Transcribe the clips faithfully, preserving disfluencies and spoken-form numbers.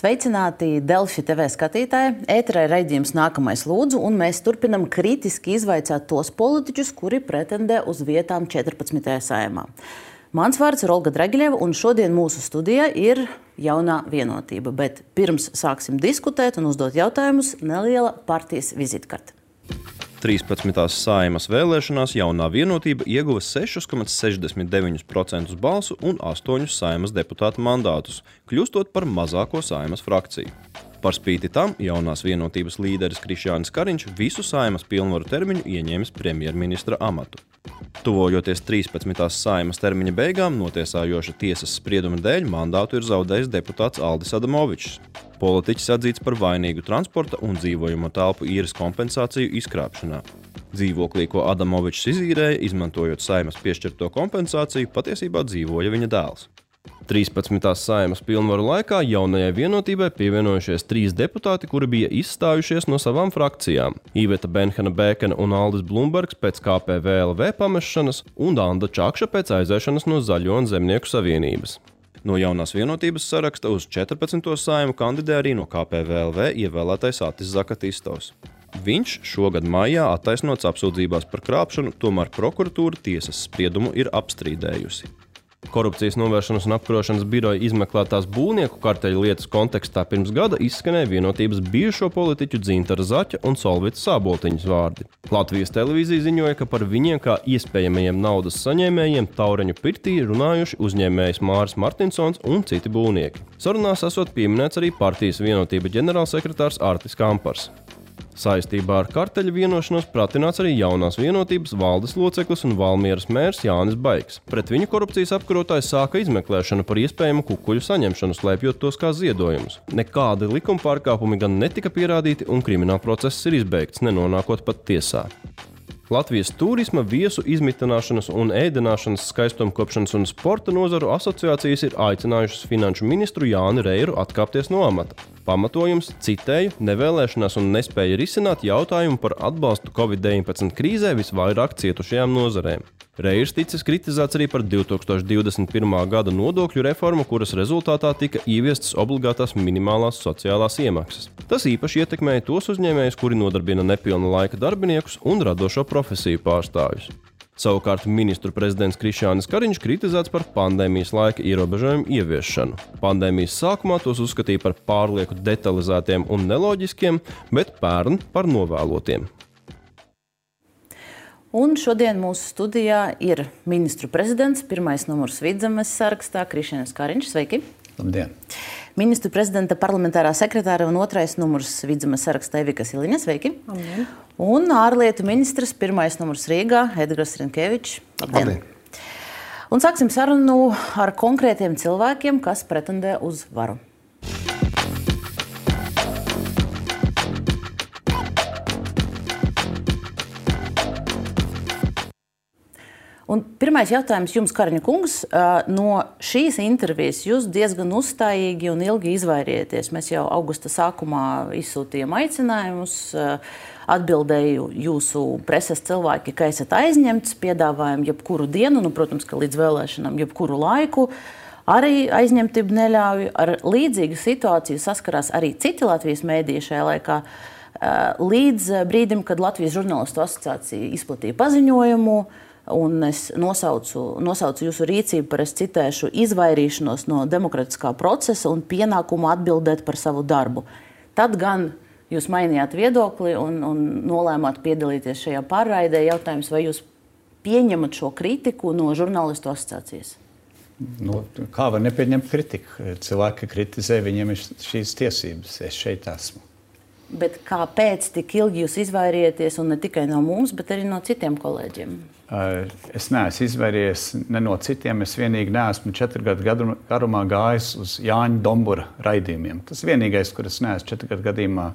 Sveicināti Delfi T V skatītāji. Ēterā ir raidījums Nākamais lūdzu, un mēs turpinam kritiski izvaicāt tos politiķus, kuri pretendē uz vietām četrpadsmitajā Saeimā. Mans vārds ir Olga Dragiļeva, un šodien mūsu studijā ir Jaunā vienotība. Bet pirms sāksim diskutēt un uzdot jautājumus, neliela partijas vizitkarte. trīspadsmitās Saeimas vēlēšanās Jaunā vienotība ieguva sešus komats sešdesmit deviņus procentus balsu un astoņus Saeimas deputātu mandātus, kļūstot par mazāko Saeimas frakciju. Par spīti tam Jaunās vienotības līderis Krišjānis Kariņš visu Saeimas pilnvaru termiņu ieņēmis premjerministra amatu. Tuvojoties trīspadsmitās Saeimas termiņa beigām, notiesājoša tiesas sprieduma dēļ mandātu ir zaudējis deputāts Aldis Adamovičs. Politiķis atzīts par vainīgu transporta un dzīvojamo telpu īres kompensāciju izkrāpšanā. Dzīvoklī, ko Adamovičs izīrēja, izmantojot Saeimas piešķirto kompensāciju, patiesībā dzīvoja viņa dēls. trīspadsmitās Saeimas pilnvaru laikā Jaunajai vienotībai pievienojušies trīs deputāti, kuri bija izstājušies no savām frakcijām – Iveta Benhana Bēkena un Aldis Blumbergs pēc K P V L V pamešanas un Danda Čakša pēc aiziešanas no Zaļo un Zemnieku savienības. No Jaunās vienotības saraksta uz četrpadsmito Saeimu kandidē arī no K P V L V ievēlētais Atis Zakatistovs. Viņš šogad maijā attaisnots apsūdzībās par krāpšanu, tomēr prokuratūra tiesas spriedumu ir apstrīdējusi. Korupcijas novēršanas un apkarošanas biroja izmeklētās būvnieku karteļa lietas kontekstā pirms gada izskanēja vienotības bijušo politiķu Dzintara Zaķa un Solvitas Sāboltiņas vārdi. Latvijas televīzija ziņoja, ka par viņiem kā iespējamajiem naudas saņēmējiem Taureņu pirtī runājuši uzņēmējs Māris Martinsons un citi būvnieki. Sarunās esot pieminēts arī partijas vienotība ģenerālsekretārs Artis Kampars. Saistībā ar karteļa vienošanos pratināts arī Jaunās vienotības valdes loceklis un Valmieras mērs Jānis Baigs. Pret viņu korupcijas apkarotājs sāka izmeklēšanu par iespējamu kukuļu saņemšanu, slēpjot tos kā ziedojumus. Nekādi likuma pārkāpumi gan netika pierādīti, un kriminālprocess ir izbeigts, nenonākot pat tiesā. Latvijas turisma, viesu izmitināšanas un ēdināšanas, skaistumkopšanas un sporta nozaru asociācijas ir aicinājušas finanšu ministru Jāni Reiru atkāpties no amata. Pamatojums, citēju, nevēlēšanās un nespēja risināt jautājumu par atbalstu Covid deviņpadsmit krīzē visvairāk cietušajām nozarēm. Reirs ticis kritizēts arī par divi tūkstoši divdesmit pirmā gada nodokļu reformu, kuras rezultātā tika ieviestas obligātās minimālās sociālās iemaksas. Tas īpaši ietekmēja tos uzņēmējus, kuri nodarbina nepilna laika darbiniekus un radošo profesiju pārstāvjus. Savukārt ministru prezidents Krišjānis Kariņš kritizēts par pandēmijas laika ierobežojumu ieviešanu. Pandēmijas sākumā tos uzskatīja par pārlieku detalizētiem un neloģiskiem, bet pērn par novēlotiem. Un šodien mūsu studijā ir ministru prezidents, pirmais numurs Vidzemes sarakstā, Krišjānis Kariņš. Sveiki! Labdien! Ministru prezidenta parlamentārā sekretāra un otrais numurs Vidzemes sarakstā Evika Siliņa. Sveiki! Labdien! Un ārlietu ministrs, pirmais numurs Rīgā, Edgars Rinkevičs. Labdien! Labdien! Un sāksim sarunu ar konkrētiem cilvēkiem, kas pretendē uz varu. Un pirmais jautājums jums, Kariņa kungs. No šīs intervijas jūs diezgan uzstājīgi un ilgi izvairieties. Mēs jau augusta sākumā izsūtījām aicinājumus, atbildēju jūsu preses cilvēki, ka esat aizņemts, piedāvājam jebkuru dienu, nu, protams, ka līdz vēlēšanām jebkuru laiku. Arī aizņemtību neļauj. Ar līdzīgu situāciju saskarās arī citi Latvijas mēdīji šajā laikā. Līdz brīdim, kad Latvijas žurnālistu asociācija izplatīja paziņojumu, un es nosaucu, nosaucu jūsu rīcību par, es citēšu, izvairīšanos no demokratiskā procesa un pienākumu atbildēt par savu darbu. Tad gan jūs mainījāt viedokli un, un nolēmāt piedalīties šajā pārraidē. Jautājums, vai jūs pieņemat šo kritiku no žurnālistu asociācijas? Nu, kā var nepieņemt kritiku? Cilvēki kritizē, viņiem ir šīs tiesības. Es šeit esmu. Bet kāpēc tik ilgi jūs izvairieties, un ne tikai no mums, bet arī no citiem kolēģiem? Es neesmu izvairījies ne no citiem. Es vienīgi neesmu četru gadu garumā gājis uz Jāņa Dombura raidījumiem. Tas vienīgais, kur es neesmu četru gadu gadījumā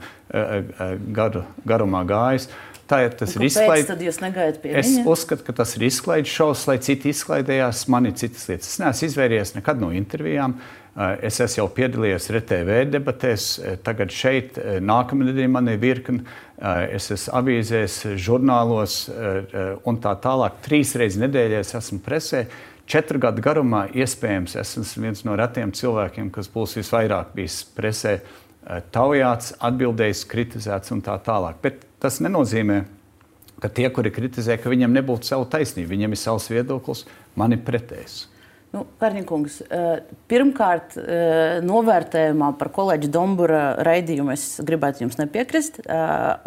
garu, garumā gājis. Tā ir tas ir izklaid... tad jūs negājat pie es viņa? Es uzskatu, ka tas ir izklaides šovs, lai citi izklaidējās, man ir citas lietas. Es neesmu izvairījies nekad no intervijām. Es esmu jau piedalījies R T V debatēs, tagad šeit nākamnedēļ man ir virkni. Es esmu avīzēs, žurnālos un tā tālāk. Trīs reizes nedēļā es esmu presē. četru gadu garumā iespējams esmu viens no retiem cilvēkiem, kas būs visvairāk bijis presē taujāts, atbildējis, kritizēts un tā tālāk. Bet tas nenozīmē, ka tie, kuri kritizē, ka viņam nebūtu savu taisnību. Viņam ir savs viedoklis, man ir pretējs. Nu, Karņikungs, pirmkārt, novērtējumā par kolēģi Dombura raidījumu es gribētu jums nepiekrist.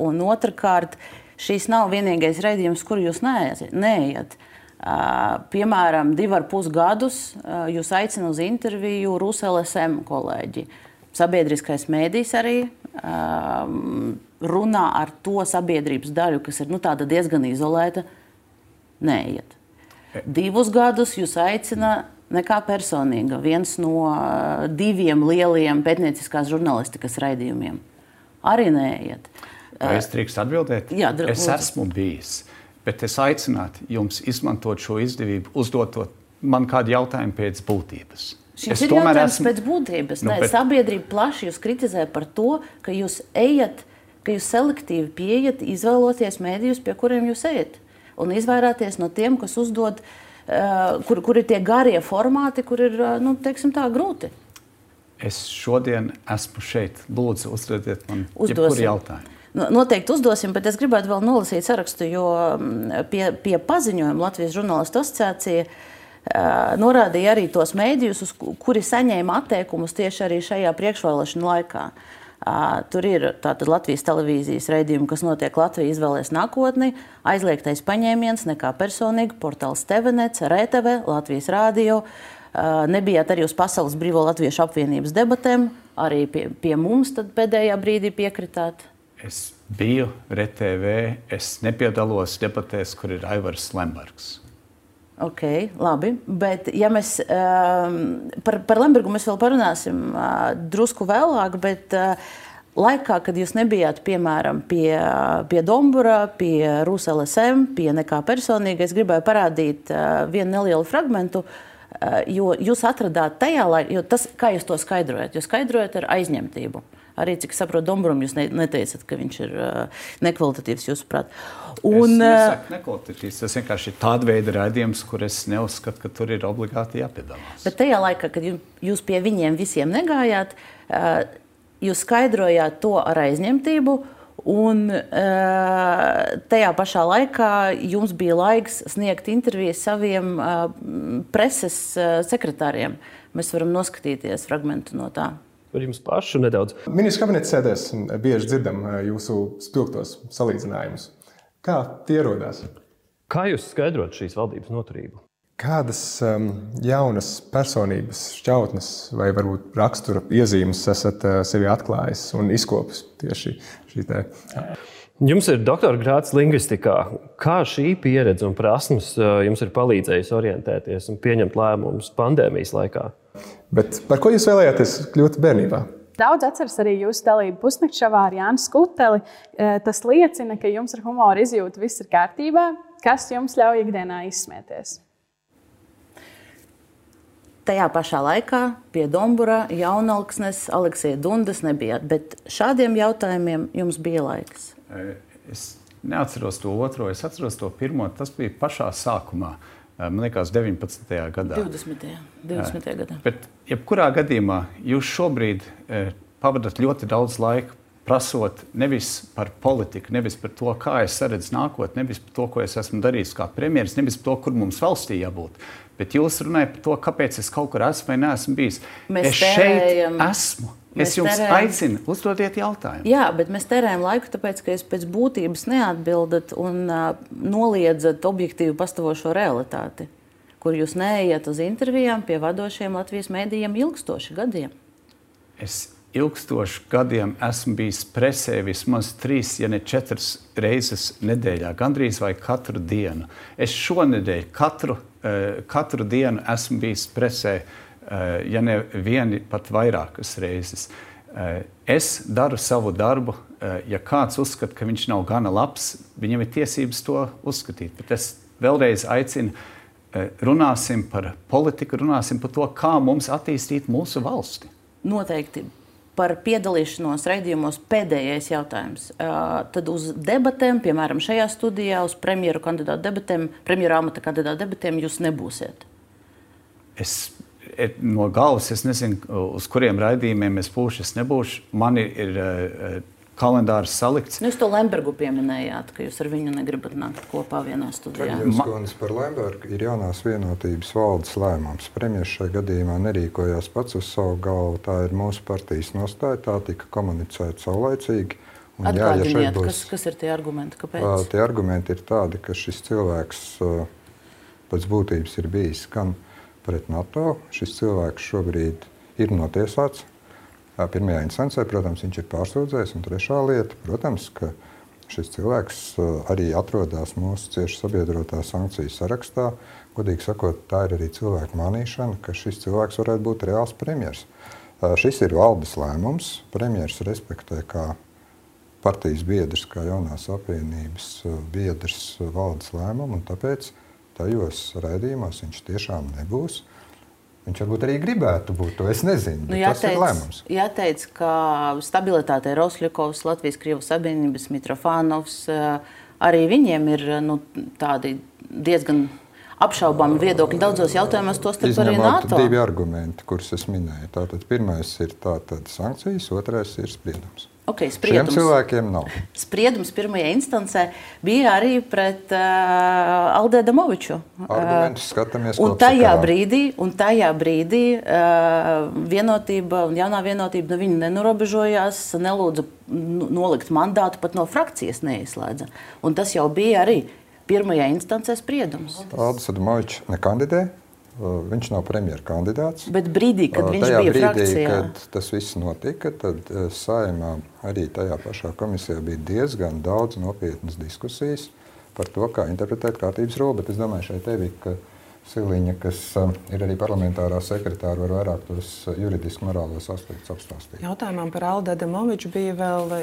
Un otrkārt, šīs nav vienīgais raidījums, kur jūs neejat. Piemēram, divi ar pus gadus jūs aicina uz interviju Rus L S M kolēģi. Sabiedriskais mēdījis arī um, runā ar to sabiedrības daļu, kas ir nu, tāda diezgan izolēta, neiet. Divus gadus jūs aicina nekā personīga, viens no uh, diviem lieliem pētnieciskās žurnālistikas raidījumiem. Arī neiet. Vai es drīkst atbildēt? Jā, dr- es esmu bijis, bet es aicinātu jums izmantot šo izdevību, uzdotot man kādu jautājumu pēc būtības. Šis ir jautājums esmu... pēc būtības. Nu, Nē, bet... Sabiedrība plaši jūs kritizē par to, ka jūs ejat, ka jūs selektīvi pieejat, izvēloties mēdījus, pie kuriem jūs ejat. Un izvairāties no tiem, kas uzdod, uh, kur, kur ir tie garie formāti, kur ir, uh, nu, teiksim tā, grūti. Es šodien esmu šeit. Lūdzu, uzdodiet man jebkuru jautājumu. Noteikti uzdosim, bet es gribētu vēl nolasīt sarakstu, jo pie, pie paziņojuma Latvijas žurnālistu asociācija Uh, norādīja arī tos mēdījus, uz kuri saņēma atteikumus tieši arī šajā priekšvēlēšanu laikā. Uh, tur ir tātad Latvijas televīzijas raidījumi, kas notiek Latvija izvēlēs nākotni, aizliegtais paņēmiens, nekā personīgi, portāls T V Net, R T V, Latvijas rādio. Uh, nebijāt arī uz Pasaules Brīvo Latviešu apvienības debatēm, arī pie, pie mums tad pēdējā brīdī piekritāt. Es biju R T V, es nepiedalos debatēs, kur ir Aivars Lembergs. Ok, labi, bet ja mēs um, par, par Lembergu mēs vēl parunāsim uh, drusku vēlāk, bet uh, laikā, kad jūs nebijāt, piemēram, pie, pie Dombura, pie Rus L S M, pie nekā personīga, es gribēju parādīt uh, vienu nelielu fragmentu, uh, jo jūs atradāt tajā laikā, jo tas, kā jūs to skaidrojat, jūs skaidrojat ar aizņemtību. Arī, cik saprotu, Domburam jūs neteicat, ka viņš ir uh, nekvalitatīvs, jūsuprāt. Un, es nesaku nekvalitatīvs, tas vienkārši ir tāda veida raidījums, kur es neuzskatu, ka tur ir obligāti jāpiedalās. Bet tajā laikā, kad jūs pie viņiem visiem negājāt, uh, jūs skaidrojāt to ar aizņemtību, un uh, tajā pašā laikā jums bija laiks sniegt intervijas saviem uh, preses uh, sekretāriem. Mēs varam noskatīties fragmentu no tā. Par jums pašu nedaudz. Ministru kabineta sēdēs bieži dzirdam jūsu spilgtos salīdzinājumus. Kā tie rodās? Kā jūs skaidrot šīs valdības noturību? Kādas um, jaunas personības šķautnes vai varbūt rakstura iezīmes esat uh, sevi atklājis un izkopis tieši šī te? Jums ir doktora grāds lingvistikā. Kā šī pieredze un prasmes uh, jums ir palīdzējusi orientēties un pieņemt lēmumus pandēmijas laikā? Bet par ko jūs vēlējāties kļūt bērnībā? Daudz atceras arī jūsu dalību pusnakšavā ar Jānu Skuteli. Tas liecina, ka jums ar humoru izjūta viss ir kārtībā. Kas jums ļauj ikdienā izsmieties? Tajā pašā laikā pie Dombura, Jaunalksnes, Aleksija Dundas nebijāt, bet šādiem jautājumiem jums bija laiks. Es neatceros to otro, es atceros to pirmo, tas bija pašā sākumā. Man liekas, deviņpadsmitajā gadā. divdesmitajā gadā. Bet, jebkurā gadījumā, jūs šobrīd eh, pavadat ļoti daudz laika prasot nevis par politiku, nevis par to, kā es saredzu nākotni, nevis par to, ko es esmu darījis kā premjeras, nevis par to, kur mums valstī jābūt. Bet jūs runājat par to, kāpēc es kaut kur esmu vai neesmu bijis. Mēs es tērējam, šeit esmu. Es jums tērējam, aicinu, uzdodiet jautājumu. Jā, bet mēs tērējam laiku, tāpēc, ka jūs pēc būtības neatbildat un uh, noliedzat objektīvi pastāvošo realitāti, kur jūs neejat uz intervijām pie vadošiem Latvijas mēdījiem ilgstoši gadiem. Es ilgstoši gadiem esmu bijis presē vismaz trīs, ja ne četras reizes nedēļā, gandrīz vai katru dienu. Es šonedēļ katru, uh, katru dienu esmu bijis presē, Uh, ja ne vieni, pat vairākas reizes. Uh, es daru savu darbu. Uh, ja kāds uzskata, ka viņš nav gana labs, viņam ir tiesības to uzskatīt. Bet es vēlreiz aicinu, uh, runāsim par politiku, runāsim par to, kā mums attīstīt mūsu valsti. Noteikti. Par piedalīšanos raidījumos pēdējais jautājums. Uh, tad uz debatēm, piemēram, šajā studijā, uz premjeru kandidātu debatēm, premjeru amata kandidātu debatēm jūs nebūsiet. es, no galvas es nezinu, uz kuriem raidījumiem es būšu, es nebūšu. Man ir, ir kalendārs salikts. Jūs to Lembergu pieminējāt, ka jūs ar viņu negribat nākt kopā vienā studijā. Jūs kundze par Lembergu ir jaunās vienotības valdes lēmums. Premjers šajā gadījumā nerīkojās pats uz savu galvu. Tā ir mūsu partijas nostāja, tā tika komunicēta saulaicīgi. Atgādiniet, ja būs, kas, kas ir tie argumenti, kāpēc? Uh, tie argumenti ir tādi, ka šis cilvēks uh, pēc būtības ir bijis gan pret NATO. Šis cilvēks šobrīd ir notiesāts. Pirmajā instancē, protams, viņš ir pārsūdzējis, un trešā lieta, protams, ka šis cilvēks arī atrodas mūsu cieši sabiedrotā sankciju sarakstā. Godīgi sakot, tā ir arī cilvēku mānīšana, ka šis cilvēks varētu būt reāls premjers. Šis ir valdes lēmums. Premjers respektē kā partijas biedrs, kā jaunās apvienības biedrs valdes lēmumu, un tāpēc tajos raidījumos viņš tiešām nebūs. Viņš varbūt arī gribētu būt, to es nezinu, bet nu, jāteic, tas ir lēmums. Jāteic, ka stabilitāte Rosļakovs, Latvijas-Krievu sabiedrības, Mitrofānovs, arī viņiem ir nu, tādi diezgan apšaubāmi viedokļi daudzos jautājumos, tostarp arī NATO. Izņemot divi argumenti, kurus es minēju. Tātad pirmais ir tātad sankcijas, otrais ir spriedums. Okay, spriedums. Šiem cilvēkiem nav. Spriedums pirmajā instancē bija arī pret uh, Alde Adamoviču. Argumentus skatāmies un tajā brīdī, un tajā brīdī uh, vienotība un jaunā vienotība no viņa nenorobežojās, nelūdza nolikt mandātu, pat no frakcijas neizslēdza. Un tas jau bija arī pirmajā instancē spriedums. Alde Adamovičs nekandidē. Viņš nav premjera kandidāts. Bet brīdī, kad viņš tajā bija brīdī, frakcijā. Kad tas viss notika, tad Saeimā arī tajā pašā komisijā bija diezgan daudz nopietnas diskusijas par to, kā interpretēt kārtības roli. Bet es domāju, šeit tevi, ka Siliņa, kas ir arī parlamentārā sekretāra, var vairāk tos juridiski morālos aspektus apstāstīt. Jautājumam par Alde Adamoviču bija vēl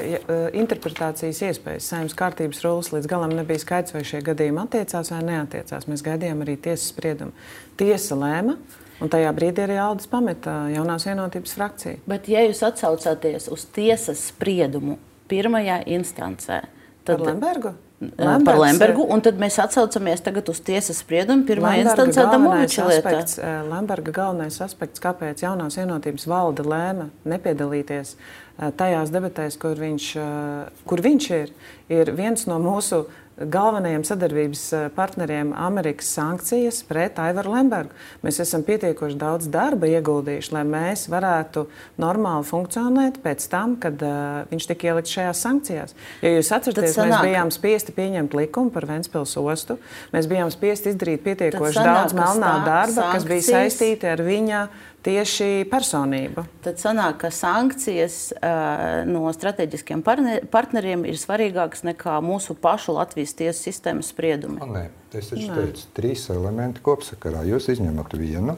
interpretācijas iespējas. Saeimas kārtības rules līdz galam nebija skaidrs, vai šie gadījumi attiecās vai neattiecās. Mēs gaidījām arī tiesas spriedumu. Tiesa lēma, un tajā brīdī arī Aldes pameta jaunās vienotības frakciju. Bet ja jūs atsaucāties uz tiesas spriedumu pirmajā instancē, tad... Par Lembergu? Lembergs, par Lembergu, un tad mēs atsaucamies tagad uz tiesas spriedumu pirmā instancē Adamoviča lietā. Lemberga galvenais aspekts, kāpēc jaunās vienotības valde lēma nepiedalīties tajās debatēs, kur viņš, kur viņš ir, ir viens no mūsu galvenajiem sadarbības partneriem Amerikas sankcijas pret Aivaru Lembergu. Mēs esam pietiekoši daudz darba ieguldījuši, lai mēs varētu normāli funkcionēt pēc tam, kad uh, viņš tika ielikts šajās sankcijās. Ja jūs atceraties, mēs bijām spiesti pieņemt likumu par Ventspils ostu, mēs bijām spiesti izdarīt pietiekoši daudz melnā darba, sankcijas, kas bija saistīti ar viņa tieši personību. Tad sanāk, ka sankcijas uh, no strateģiskiem partneriem ir svarīgākas nekā mūsu pašu Latvijas tiesas sistēmas spriedumi. Nē, es taču teicu, trīs elementi kopsakarā. Jūs izņemat vienu,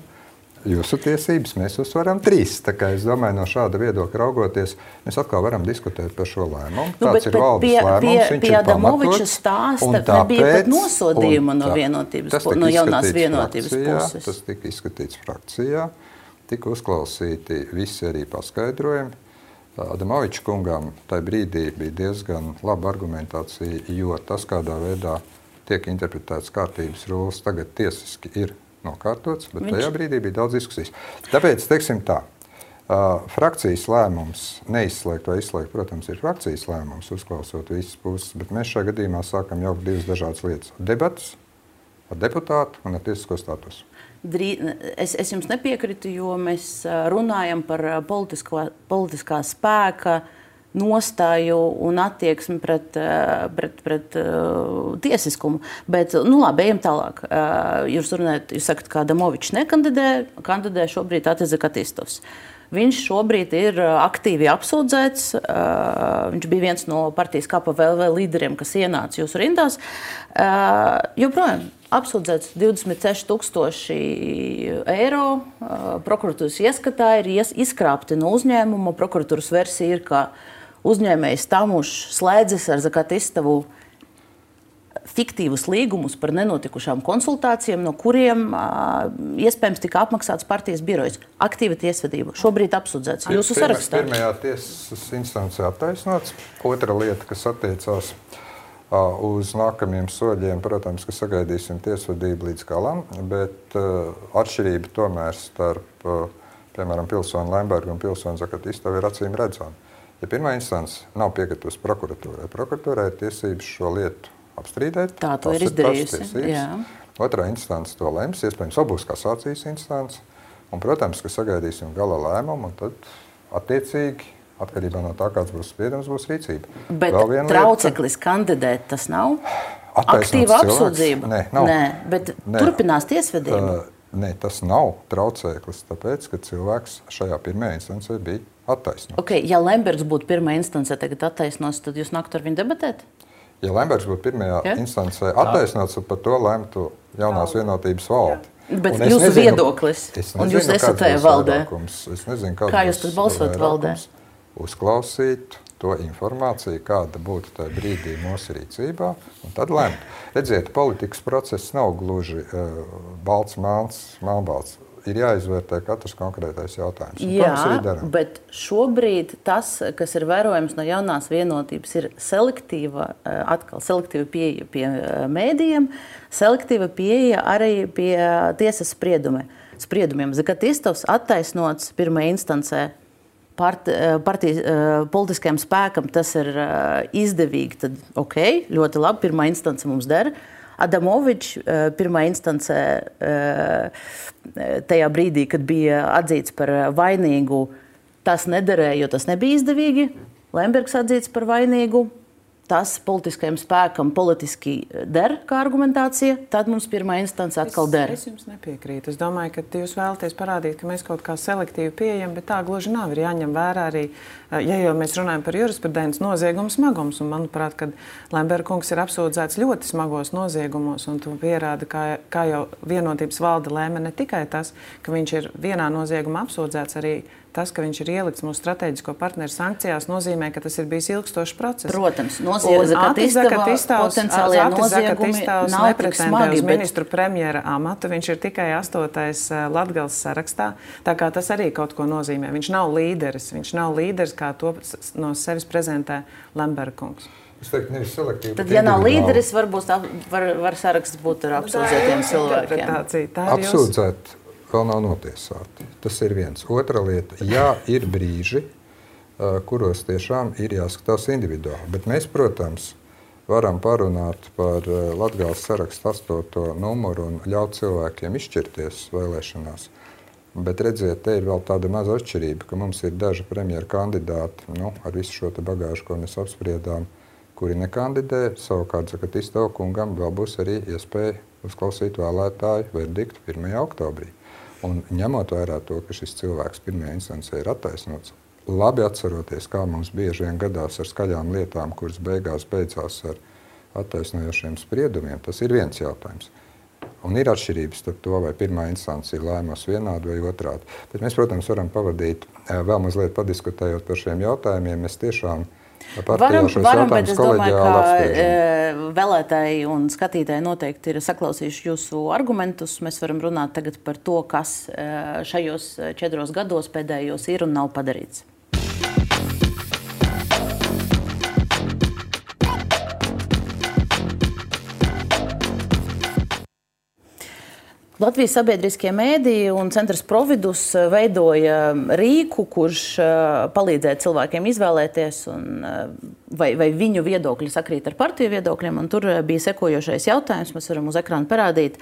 jūsu tiesības, mēs uzsvaram trīs. Tā kā es domāju, no šāda viedokļa raugoties, mēs atkal varam diskutēt par šo lēmumu. Nu, Tāds bet, ir valdes pie, lēmums, pie, viņš pie ir pamatots. Stāsta nebija pat nosodījuma no vienotības, no jaunās vienotības frakcijā, puses. Tas tika izskatīts frakcijā. Tika uzklausīti visi arī paskaidrojumi. Adamoviča kungam tajā brīdī bija diezgan laba argumentācija, jo tas, kādā veidā tiek interpretēts kārtības rules, tagad tiesiski ir nokārtots, bet Viņš... tajā brīdī bija daudz diskusijas. Tāpēc, teiksim tā, frakcijas lēmums neizslēgt vai izslēgt, protams, ir frakcijas lēmums, uzklausot visas puses, bet mēs šajā gadījumā sākam jaukt divas dažādas lietas. Debatas ar deputātu un ar tiesisko statusu. Es, es jums nepiekrītu, jo mēs runājam par politisko, politiskā spēka nostāju un attieksmi pret, pret, pret uh, tiesiskumu. Bet, nu labi, ejam tālāk. Uh, jūs runājat, jūs sakat, ka Adamovičs nekandidē, kandidē šobrīd Atis Zakatistovs. Viņš šobrīd ir aktīvi apsūdzēts. Uh, viņš bija viens no partijas K P V L līderiem, kas ienāca jūsu rindās. Uh, joprojām apsūdzēts divdesmit seši tūkstoši eiro. Uh, prokuratūras ieskatā ir ies, izkrāpti no uzņēmuma. Prokuratūras versija ir, ka uzņēmējs Tamušs slēdzis ar Zakatistovu fiktīvus līgumus par nenotikušām konsultācijām, no kuriem uh, iespējams tika apmaksāts partijas birojas. Aktīva tiesvedība. Šobrīd apsūdzēts jūsu sarakstā. Pirmajā tiesas instancē attaisnots. Otra lieta, kas attiecās Uz nākamajiem soļiem, protams, ka sagaidīsim tiesvedību līdz galam, bet uh, atšķirība tomēr starp, uh, piemēram, pilsoni Lembergu un pilsoni Zakatistavu ir acīm redzama. Ja pirmā instance nav piekritusi prokuratūrai, prokuratūrai ir tiesības šo lietu apstrīdēt. Tā to ir izdarījusi. Jā. Otrā instance to lems, iespējams, būs kasācijas instance, un, protams, ka sagaidīsim gala lēmumu, un tad attiecīgi atkarībā no tā, kāds būs spriedums, būs rīcība. Bet trauceklis lieta, kandidēt tas nav? Aktīva apsūdzība? Nē, nav. Nē, bet Nē. turpinās tiesvedība? Uh, nē, tas nav trauceklis, tāpēc, ka cilvēks šajā pirmajā instancē bija attaisnots. Okay, ja Lembergs būtu pirmā instancē tagad attaisnots, tad jūs nāktu ar viņu debatēt? Ja Lembergs būtu pirmajā ja? instancē attaisnots, tad par to lemtu jaunās vienotības valde. Bet jūsu nezinu, viedoklis, nezinu, un jūs esat tajā valdē. Es nezinu, kā jūs tad balsot valdē? Uzklausīt to informāciju, kāda būtu tajā brīdī mūsu rīcībā, un tad lemt. Redziet, politikas process nav gluži uh, balts, melns, melnbalts. Ir jāizvērtē katrs konkrētais jautājums. Jā, bet šobrīd tas, kas ir vērojams no jaunās vienotības, ir selektīva, atkal selektīva pieeja pie mēdījiem, selektīva pieeja arī pie tiesas spriedumi, spriedumiem. Zakatistovs attaisnots pirmajā instancē. Part, partijas politiskajam spēkam tas ir izdevīgi, tad ok, ļoti labi, pirmā instance mums dara. Adamovičs pirmā instancē tajā brīdī, kad bija atzīts par vainīgu, tas nederēja, jo tas nebija izdevīgi. Lembergs atzīts par vainīgu. Tas politiskajam spēkam politiski der kā argumentācija, tad mums pirmā instance atkal der. Es, es jums nepiekrītu. Es domāju, ka jūs vēlaties parādīt, ka mēs kaut kā selektīvi pieejam, bet tā gluži nav. Ir jāņem vērā arī, ja jau mēs runājam par jurisprudences noziegumu smagums, un manuprāt, kad Lemberga kungs ir apsūdzēts ļoti smagos noziegumos, un to pierāda, kā, kā jau vienotības valde lēma ne tikai tas, ka viņš ir vienā noziegumā apsūdzēts, arī tas, ka viņš ir ielikts mūsu strateģisko partneru sankcijās, nozīmē, ka tas ir bijis ilgstošs process. Protams, Zakatistovs potenciālie noziegumi nav tik smagi, uz ministru premjera amatu. Viņš ir tikai astotais Latgales sarakstā, tā kā tas arī kaut ko nozīmē. Viņš nav līderis, viņš nav līderis, kā to no sevis prezentē Lemberga kungs. Es teiktu, nevis selektīvi. Tad, ja nav līderis, varbūt var, var saraksts būt ar apsūdzētiem cilvēkiem. Apsūdzēt vēl nav notiesāti. Tas ir viens. Otra lieta, jā, ir brīži, kuros tiešām ir jāskatās individuāli. Bet mēs, protams, varam parunāt par Latgales sarakstu astoto numuru un ļaut cilvēkiem izšķirties vēlēšanās. Bet redziet, te ir vēl tāda maza atšķirība, ka mums ir daži premjera kandidāti, nu, ar visu šo te bagāžu, ko mēs apspriedām, kuri nekandidē. Savukārt Zakatistavu kungam vēl būs arī iespēja uzklausīt vēlētāju verdiktu pirmajā oktobrī. Un ņemot vērā to, ka šis cilvēks pirmajā instancē ir attaisnots, labi atceroties, kā mums bieži vien gadās ar skaļām lietām, kuras beigās beidzās ar attaisnojošiem spriedumiem, tas ir viens jautājums. Un ir atšķirības starp to, vai pirmā instance ir lēmos vienādi vai otrādi. Bet mēs, protams, varam pavadīt vēl mazliet padiskutējot par šiem jautājumiem. Mēs tiešām Varam, varam, bet es domāju, ka vēlētāji un skatītāji noteikti ir saklausījuši jūsu argumentus. Mēs varam runāt tagad par to, kas šajos četros gados pēdējos ir un nav padarīts. Latvijas sabiedriskie mēdīji un centrs Providus veidoja rīku, kurš palīdzēja cilvēkiem izvēlēties, un, vai, vai viņu viedokļi sakrīt ar partiju viedokļiem. Un tur bija sekojošais jautājums, mēs varam uz ekrāna parādīt.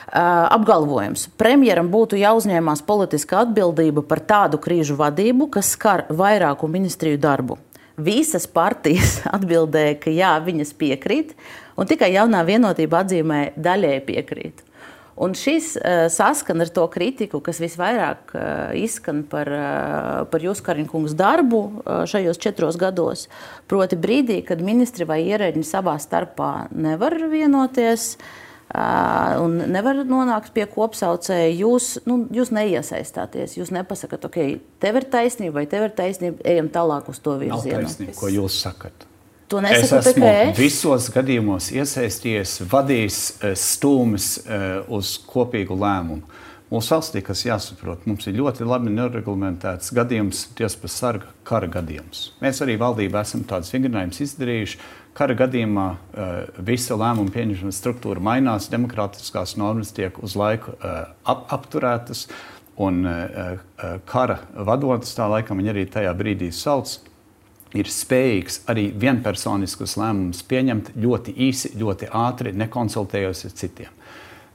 Apgalvojums. Premjeram būtu jāuzņēmās politiska atbildība par tādu krīžu vadību, kas skar vairāku ministriju darbu. Visas partijas atbildēja, ka jā, viņas piekrīt, un tikai jaunā vienotība atzīmē daļēji piekrīt. Un šis uh, saskan ar to kritiku, kas visvairāk uh, izskan par, uh, par jūsu Kariņkungas darbu uh, šajos četros gados. Proti brīdī, kad ministri vai ierēģi savā starpā nevar vienoties uh, un nevar nonākt pie kopsaucēja, jūs, nu, jūs neiesaistāties. Jūs nepasakat, ok, tev ir taisnība vai tev ir taisnība, ejam tālāk uz to virzienu. Nav taisnība, ko jūs sakat. Es esmu visos gadījumos iesaistījies, vadījis stūmes uz kopīgu lēmumu. Mūsu valstī, kas jāsaprot, mums ir ļoti labi nereglamentēts gadījums, tiesa par sarga kara gadījums. Mēs arī valdībā esam tādus vingrinājumus izdarījuši, kara gadījumā visa lēmuma pieņemšanas struktūra mainās, demokrātiskās normas tiek uz laiku ap, apturētas, un kara vadonis, tā laikam viņi arī tajā brīdī sauc, ir spējīgs arī vienpersoniskus lēmumus pieņemt ļoti īsi, ļoti ātri, nekonsultējot ar citiem.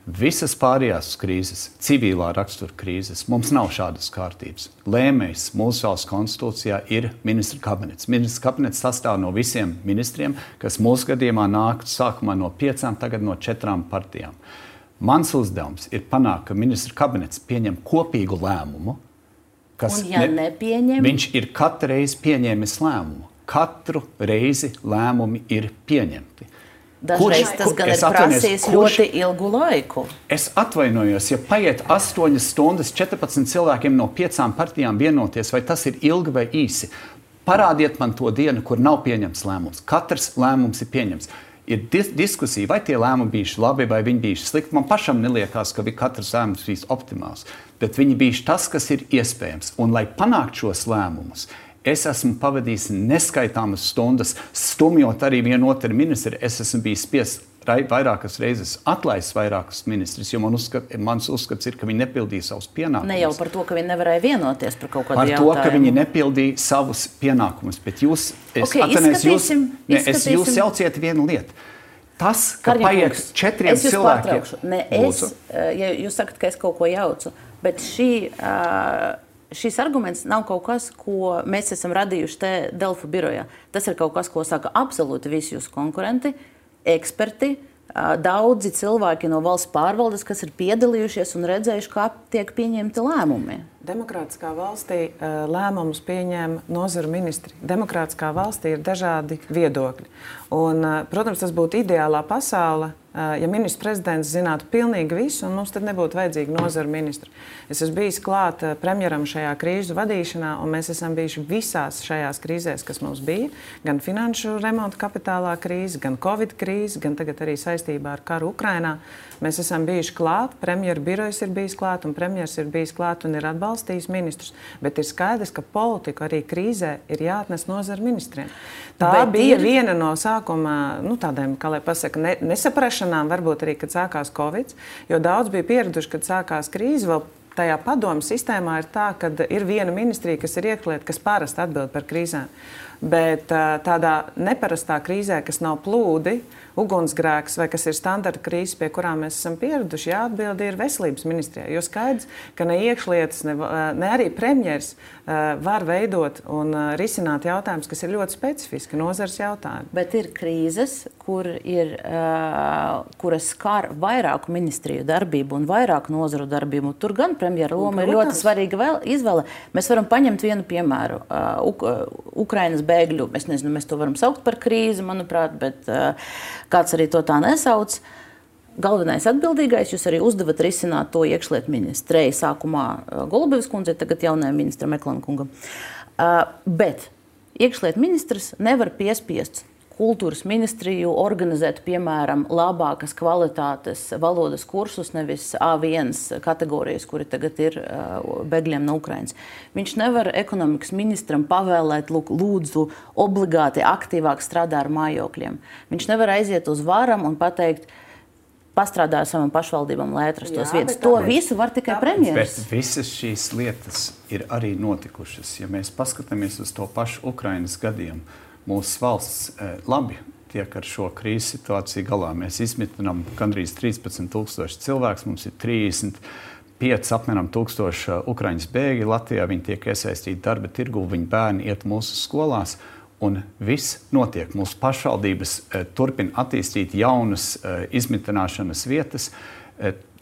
Visas pārējās krīzes, civilā rakstura krīzes, mums nav šādas kārtības. Lēmējs mūsu valsts konstitūcijā ir ministra kabinets. Ministra kabinets sastāv no visiem ministriem, kas mūsu gadījumā nāk sākumā no piecām, tagad no četrām partijām. Mans uzdevums ir panākt, ka ministra kabinets pieņem kopīgu lēmumu, kas un, ja ne, nepieņem... viņš ir katru reizi pieņēmis lēmumu. Katru reizi lēmumi ir pieņemti. Dažreiz kurš, tas gan ir prasījis ļoti ilgu laiku. Es atvainojos, ja paiet astoņas stundas četrpadsmit cilvēkiem no piecām partijām vienoties, vai tas ir ilgi vai īsi. Parādiet man to dienu, kur nav pieņemts lēmums. Katrs lēmums ir pieņemts. Ir dis diskusija, vai tie lēmumi bijuši labi, vai viņi bijuši slikti. Man pašam neliekās, ka katrs lēmums bijis optimāls, bet viņi bijuši tas, kas ir iespējams. Un, lai panāktu šos lēmumus, es esmu pavadījis neskaitāmas stundas, stumjot arī vienu otru ministru. Es esmu bijis spiests vairākas reizes atlaist vairākus ministrus, jo man uzskat, mans uzskats ir, ka viņi nepildīja savus pienākumus. Ne jau par to, ka viņi nevarēja vienoties par kaut kādu par jautājumu. Par to, ka viņi nepildīja savus pienākumus. Bet jūs, es, okay, atanies, jūs, ne, es jūs jauciet vienu lietu. Tas, ka Karņa paiet kungs, četriem cilvēkiem... Ne, es, ja jūs sakat, ka es kaut ko jaucu, bet šī... Uh, Šis arguments nav kaut kas, ko mēs esam radījuši te Delfu birojā. Tas ir kaut kas, ko saka absolūti visi jūsu konkurenti, eksperti, daudzi cilvēki no valsts pārvaldes, kas ir piedalījušies un redzējuši, kā tiek pieņemti lēmumi. Demokrātiskā valstī lēmumus pieņem nozaru ministri. Demokrātiskā valstī ir dažādi viedokļi. Un, protams, tas būtu ideālā pasaule, ja ministrs prezidents zinātu pilnīgi visu, un mums tad nebūtu vajadzīgi nozaru ministri. Es esmu bijis klāt premjeram šajā krīžu vadīšanā, un mēs esam bijuši visās šajās krīzēs, kas mums bija. Gan finanšu remonta kapitālā krīze, gan Covid krīze, gan tagad arī saistībā ar karu Ukrainā. Mēs esam bijuši klāt, premjera birojas ir bijis klāt, un premjers ir bijis klāt un ir atbalstījis ministrus. Bet ir skaidrs, ka politiku arī krīzē ir jāatnes nozaru ministriem. Tā Bet bija ir... viena no sākuma, nu, tādiem, kā lai pasaka, ne, nesaprašanām, varbūt arī, kad sākās Covid, jo daudz bija pieraduši, kad sākās krīze, vēl tajā padomu sistēmā ir tā, ka ir viena ministrija, kas ir iekšlieta, kas parasti atbild par krīzēm. Bet tādā neparastā krīzē, kas nav plūdi, ugunsgrēks vai kas ir standarta krīze, pie kurām mēs esam pieraduši, jāatbild ir veselības ministrijā. Jo skaidrs, ka ne iekšlietas, ne, ne arī premjers var veidot un risināt jautājumus, kas ir ļoti specifiski nozars jautājumi. Bet ir krīzes, kur ir, kuras skar vairāku ministriju darbību un vairāku nozaru darbību. Tur gan premjera loma ir ļoti svarīga izvēle. Mēs varam paņemt vienu piemēru. Uk Ukrainas bēgļu, es nezinu, mēs to varam saukt par krīzi, manuprāt, bet kāds arī to tā nesauc. Galvenais atbildīgais, jūs arī uzdevat risināt to iekšlietu ministrei, sākumā Golubevas kundzei, tagad jaunajam ministram Meklana kungam. Bet iekšlietu ministrs nevar piespiest kultūras ministriju organizēt, piemēram, labākas kvalitātes valodas kursus, nevis A viens kategorijas, kuri tagad ir bēgļiem no Ukrainas. Viņš nevar ekonomikas ministram pavēlēt, lūk, lūdzu, obligāti aktīvāk strādā ar mājokļiem. Viņš nevar aiziet uz varam un pateikt, pastrādā ar savam pašvaldībām, lai atrastos vietas. To tāpēc, visu var tikai premjeras. Bet visas šīs lietas ir arī notikušas. Ja mēs paskatāmies uz to pašu Ukrainas gadījumu, mūsu valsts labi tiek ar šo krīzes situāciju galā. Mēs izmitinām gandrīz trīspadsmit tūkstoši cilvēks, mums ir trīsdesmit pieci apmēram tūkstoši Ukraiņas bēgļi. Latvijā viņi tiek iesaistīti darba tirgu, viņu bērni iet mūsu skolās, un viss notiek. Mūsu pašvaldības turpina attīstīt jaunas izmitināšanas vietas.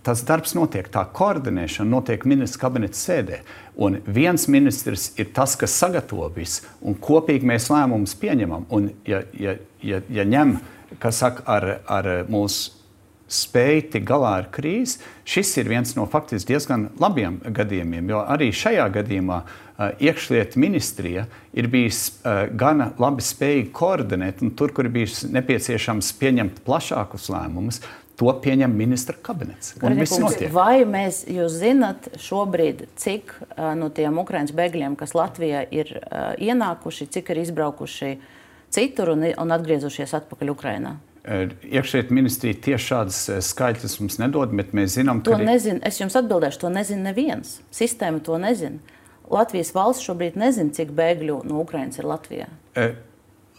Tas darbs notiek, tā koordinēšana notiek ministra kabineta sēdē. Un viens ministrs ir tas, kas sagatavo visu, un kopīgi mēs lēmumus pieņemam. Un ja, ja, ja, ja ņem, kas saka, ar, ar mūsu spēju tik galā ar krīzi, šis ir viens no faktiski diezgan labiem gadījumiem, jo arī šajā gadījumā uh, iekšlietu ministrija ir bijis uh, gana labi spējīgi koordinēt, un tur, kur ir bijis nepieciešams pieņemt plašākus lēmumus, to pieņem ministra kabinets. Vai mēs, jūs zinat šobrīd, cik uh, no tiem Ukrainas bēgļiem, kas Latvijā ir uh, ienākuši, cik ir izbraukuši citur un, un atgriezušies atpakaļ Ukrainā? Iekšlietu ministrija tieši šādas skaitļus mums nedod, bet mēs zinām, ka... To arī... nezinu, es jums atbildēšu, to nezinu neviens. Sistēma to nezina. Latvijas valsts šobrīd nezina, cik bēgļu no Ukrainas ir Latvijā. E...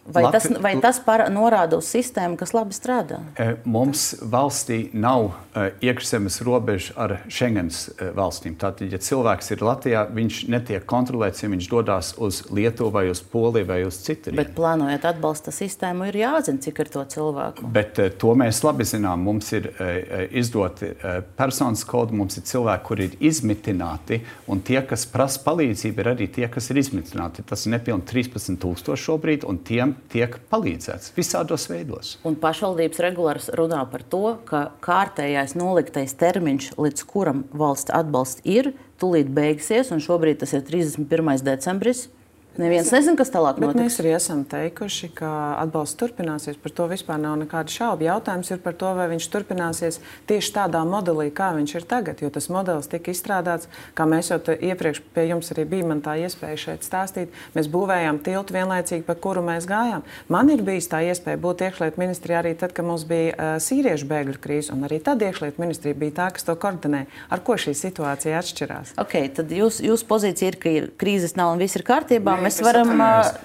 Vai tas, vai tas para, norāda uz sistēmu, kas labi strādā? Mums valstī nav uh, iekšzemes robeža ar Schengens uh, valstīm. Tātad, ja cilvēks ir Latvijā, viņš netiek kontrolēts, ja viņš dodas uz Lietuvu vai uz Poliju vai uz citurien. Bet plānojot atbalsta sistēmu, ir jāzina, cik ir to cilvēku. Bet uh, to mēs labi zinām. Mums ir uh, izdoti uh, personas kodi, mums ir cilvēki, kuri ir izmitināti, un tie, kas prasa palīdzību, ir arī tie, kas ir izmitināti. Tas ir nepilni trīspadsmit tūkstoši šobrīd, un tiem tiek palīdzēts visādos veidos. Un pašvaldības regulāri runā par to, ka kārtējais noliktais termiņš, līdz kuram valsts atbalsts ir, tūlīt beigsies, un šobrīd tas ir trīsdesmit pirmais decembris. Neviens nezina, kas tālāk notiks. Bet mēs arī esam teikuši, ka atbalsts turpināsies. Par to vispār nav nekāda šauba. Jautājums ir par to, vai viņš turpināsies tieši tādā modelī, kā viņš ir tagad. Jo tas modelis tika izstrādāts, kā mēs jau iepriekš pie jums arī bija man tā iespēja šeit stāstīt. Mēs būvējām tiltu vienlaicīgi, pa kuru mēs gājām. Man ir bijis tā iespēja būt iekšlietu ministrijā arī tad, kad mums bija uh, sīriešu bēgļu krīze. Un arī tad iekšlietu ministrija bija tā, kas to koordinē. Ar ko šī situācija atšķirās? Okay, tad jūs, jūs pozīcija ir, ka krīzes nav un viss ir kārtībā. Mēs varam,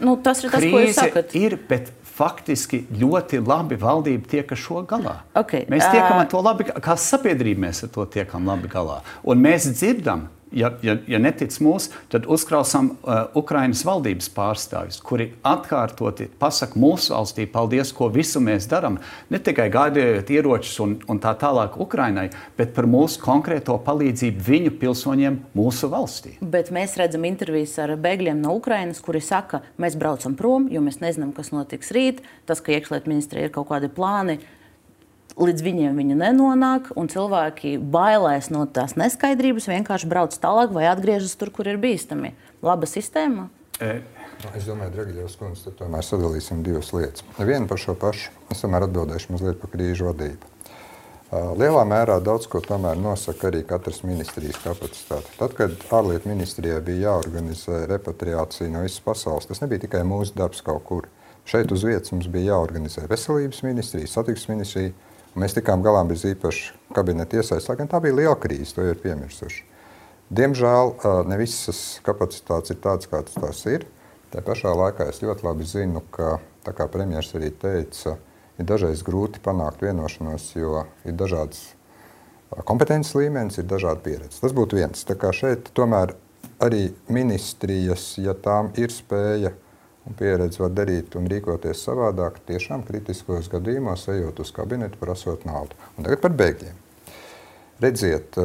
nu, tas ir tas, krīze ko jūs sakat. Ir, bet faktiski ļoti labi valdība tiek ar šo galā. Okay. Mēs tiekam ar to labi, kā sabiedrība mēs ar to tiekam labi galā. Un mēs dzirdam, ja, ja, ja netic mūs, tad uzklausām uh, Ukrainas valdības pārstāvjus, kuri atkārtoti pasaka mūsu valstī paldies, ko visu mēs daram. Ne tikai gādējot ieročus un, un tā tālāk Ukrainai, bet par mūsu konkrēto palīdzību viņu pilsoņiem mūsu valstī. Bet mēs redzam intervijas ar bēgļiem no Ukrainas, kuri saka, mēs braucam prom, jo mēs nezinām, kas notiks rīt. Tas, ka iekšlietu ministrija ir kaut kādi plāni, līdz viņiem viņa nenonāk, un cilvēki bailēs no tās neskaidrības, vienkārši brauc tālāk vai atgriežas tur, kur ir bīstami. Laba sistēma? E. Es domāju, Dragiļevs kundze, tad tomēr sadalīsim divas lietas. Viena par šo pašu. Es tomēr atbildēšu mazliet par krīžu vadību. Lielā mērā daudz ko tomēr nosaka arī katras ministrijas kapacitāte. Tad, kad ārlietu ministrijai bija jāorganizē repatriācija no visas pasaules, tas nebija tikai mūsu darbs kaut kur. Šeit uz vietas mums bija jāorganizē veselības ministrija, satiksmes ministrija. Mēs tikām galā bez īpaši kabineta iesaistes, lai gan tā bija liela krīze, to ir piemirsuši. Diemžēl ne visas kapacitātes ir tādas, kādas tās ir. Tā pašā laikā es ļoti labi zinu, ka, tā kā premjers arī teica, ir dažreiz grūti panākt vienošanos, jo ir dažādas kompetences līmenis, ir dažāda pieredze. Tas būtu viens. Tā kā šeit tomēr arī ministrijas, ja tām ir spēja un pieredze var darīt un rīkoties savādāk, tiešām kritiskos gadījumos ejot uz kabinetu, prasot naudu. Un tagad par bēgļiem. Redziet,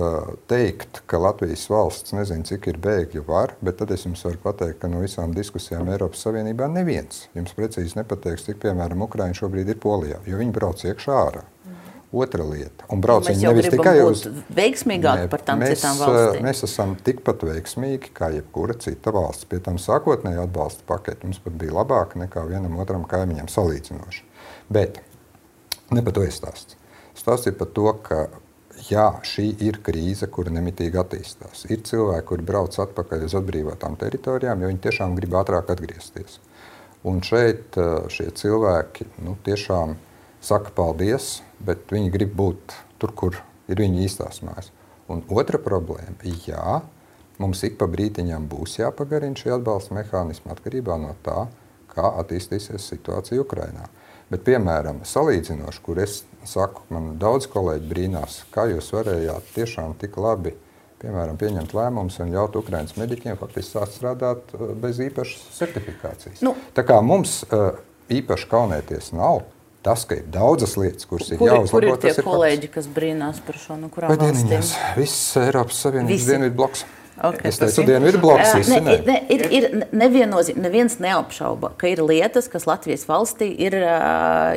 teikt, ka Latvijas valsts nezina, cik ir bēgļu var, bet tad es jums varu pateikt, ka no visām diskusijām Eiropas Savienībā neviens jums precīzi nepateiks, cik, piemēram, Ukraiņi šobrīd ir Polijā, jo viņi brauc iekšā ārā. Otra lieta. Un brauc viņi nevis tikai uz... veiksmīgāk par tām mēs, citām valstīm. Mēs esam tikpat veiksmīgi kā jebkura cita valsts. Pie tam sākotnēji atbalsta paketi mums pat bija labāka nekā vienam otram kaimiņam salīdzinoši. Bet ne par to ir stāsts. Stāsts ir par to, ka jā, šī ir krīze, kura nemitīgi attīstās. Ir cilvēki, kuri brauc atpakaļ uz atbrīvotām teritorijām, jo viņi tiešām grib ātrāk atgriezties. Un šeit šie cilvēki, nu, tiešām saka paldies, bet viņi grib būt tur, kur ir viņa īstās mājas. Un otra problēma, jā, mums ik pa brītiņām būs jāpagarina šī atbalsta mehānisma atkarībā no tā, kā attīstīsies situācija Ukrainā. Bet, piemēram, salīdzinoši, kur es saku, man daudz kolēģi brīnās, kā jūs varējāt tiešām tik labi, piemēram, pieņemt lēmumus un ļaut Ukrainas mediķiem faktiski sākt strādāt bez īpašas certifikācijas. Nu, tā kā mums īpaši kaunēties nav, tas, ka ir daudzas lietas, kuras ir kur, jāuzlabo, kur ir tie tas ir kolēģi, kas brīnās par šo, nu kurām valstīm? Viss Eiropas Savienības dienvidu bloks. Okay, es teicu, dienvidu bloks, visi ne. ne, ir, ir neviennozīm, neviens neapšauba, ka ir lietas, kas Latvijas valstī ir,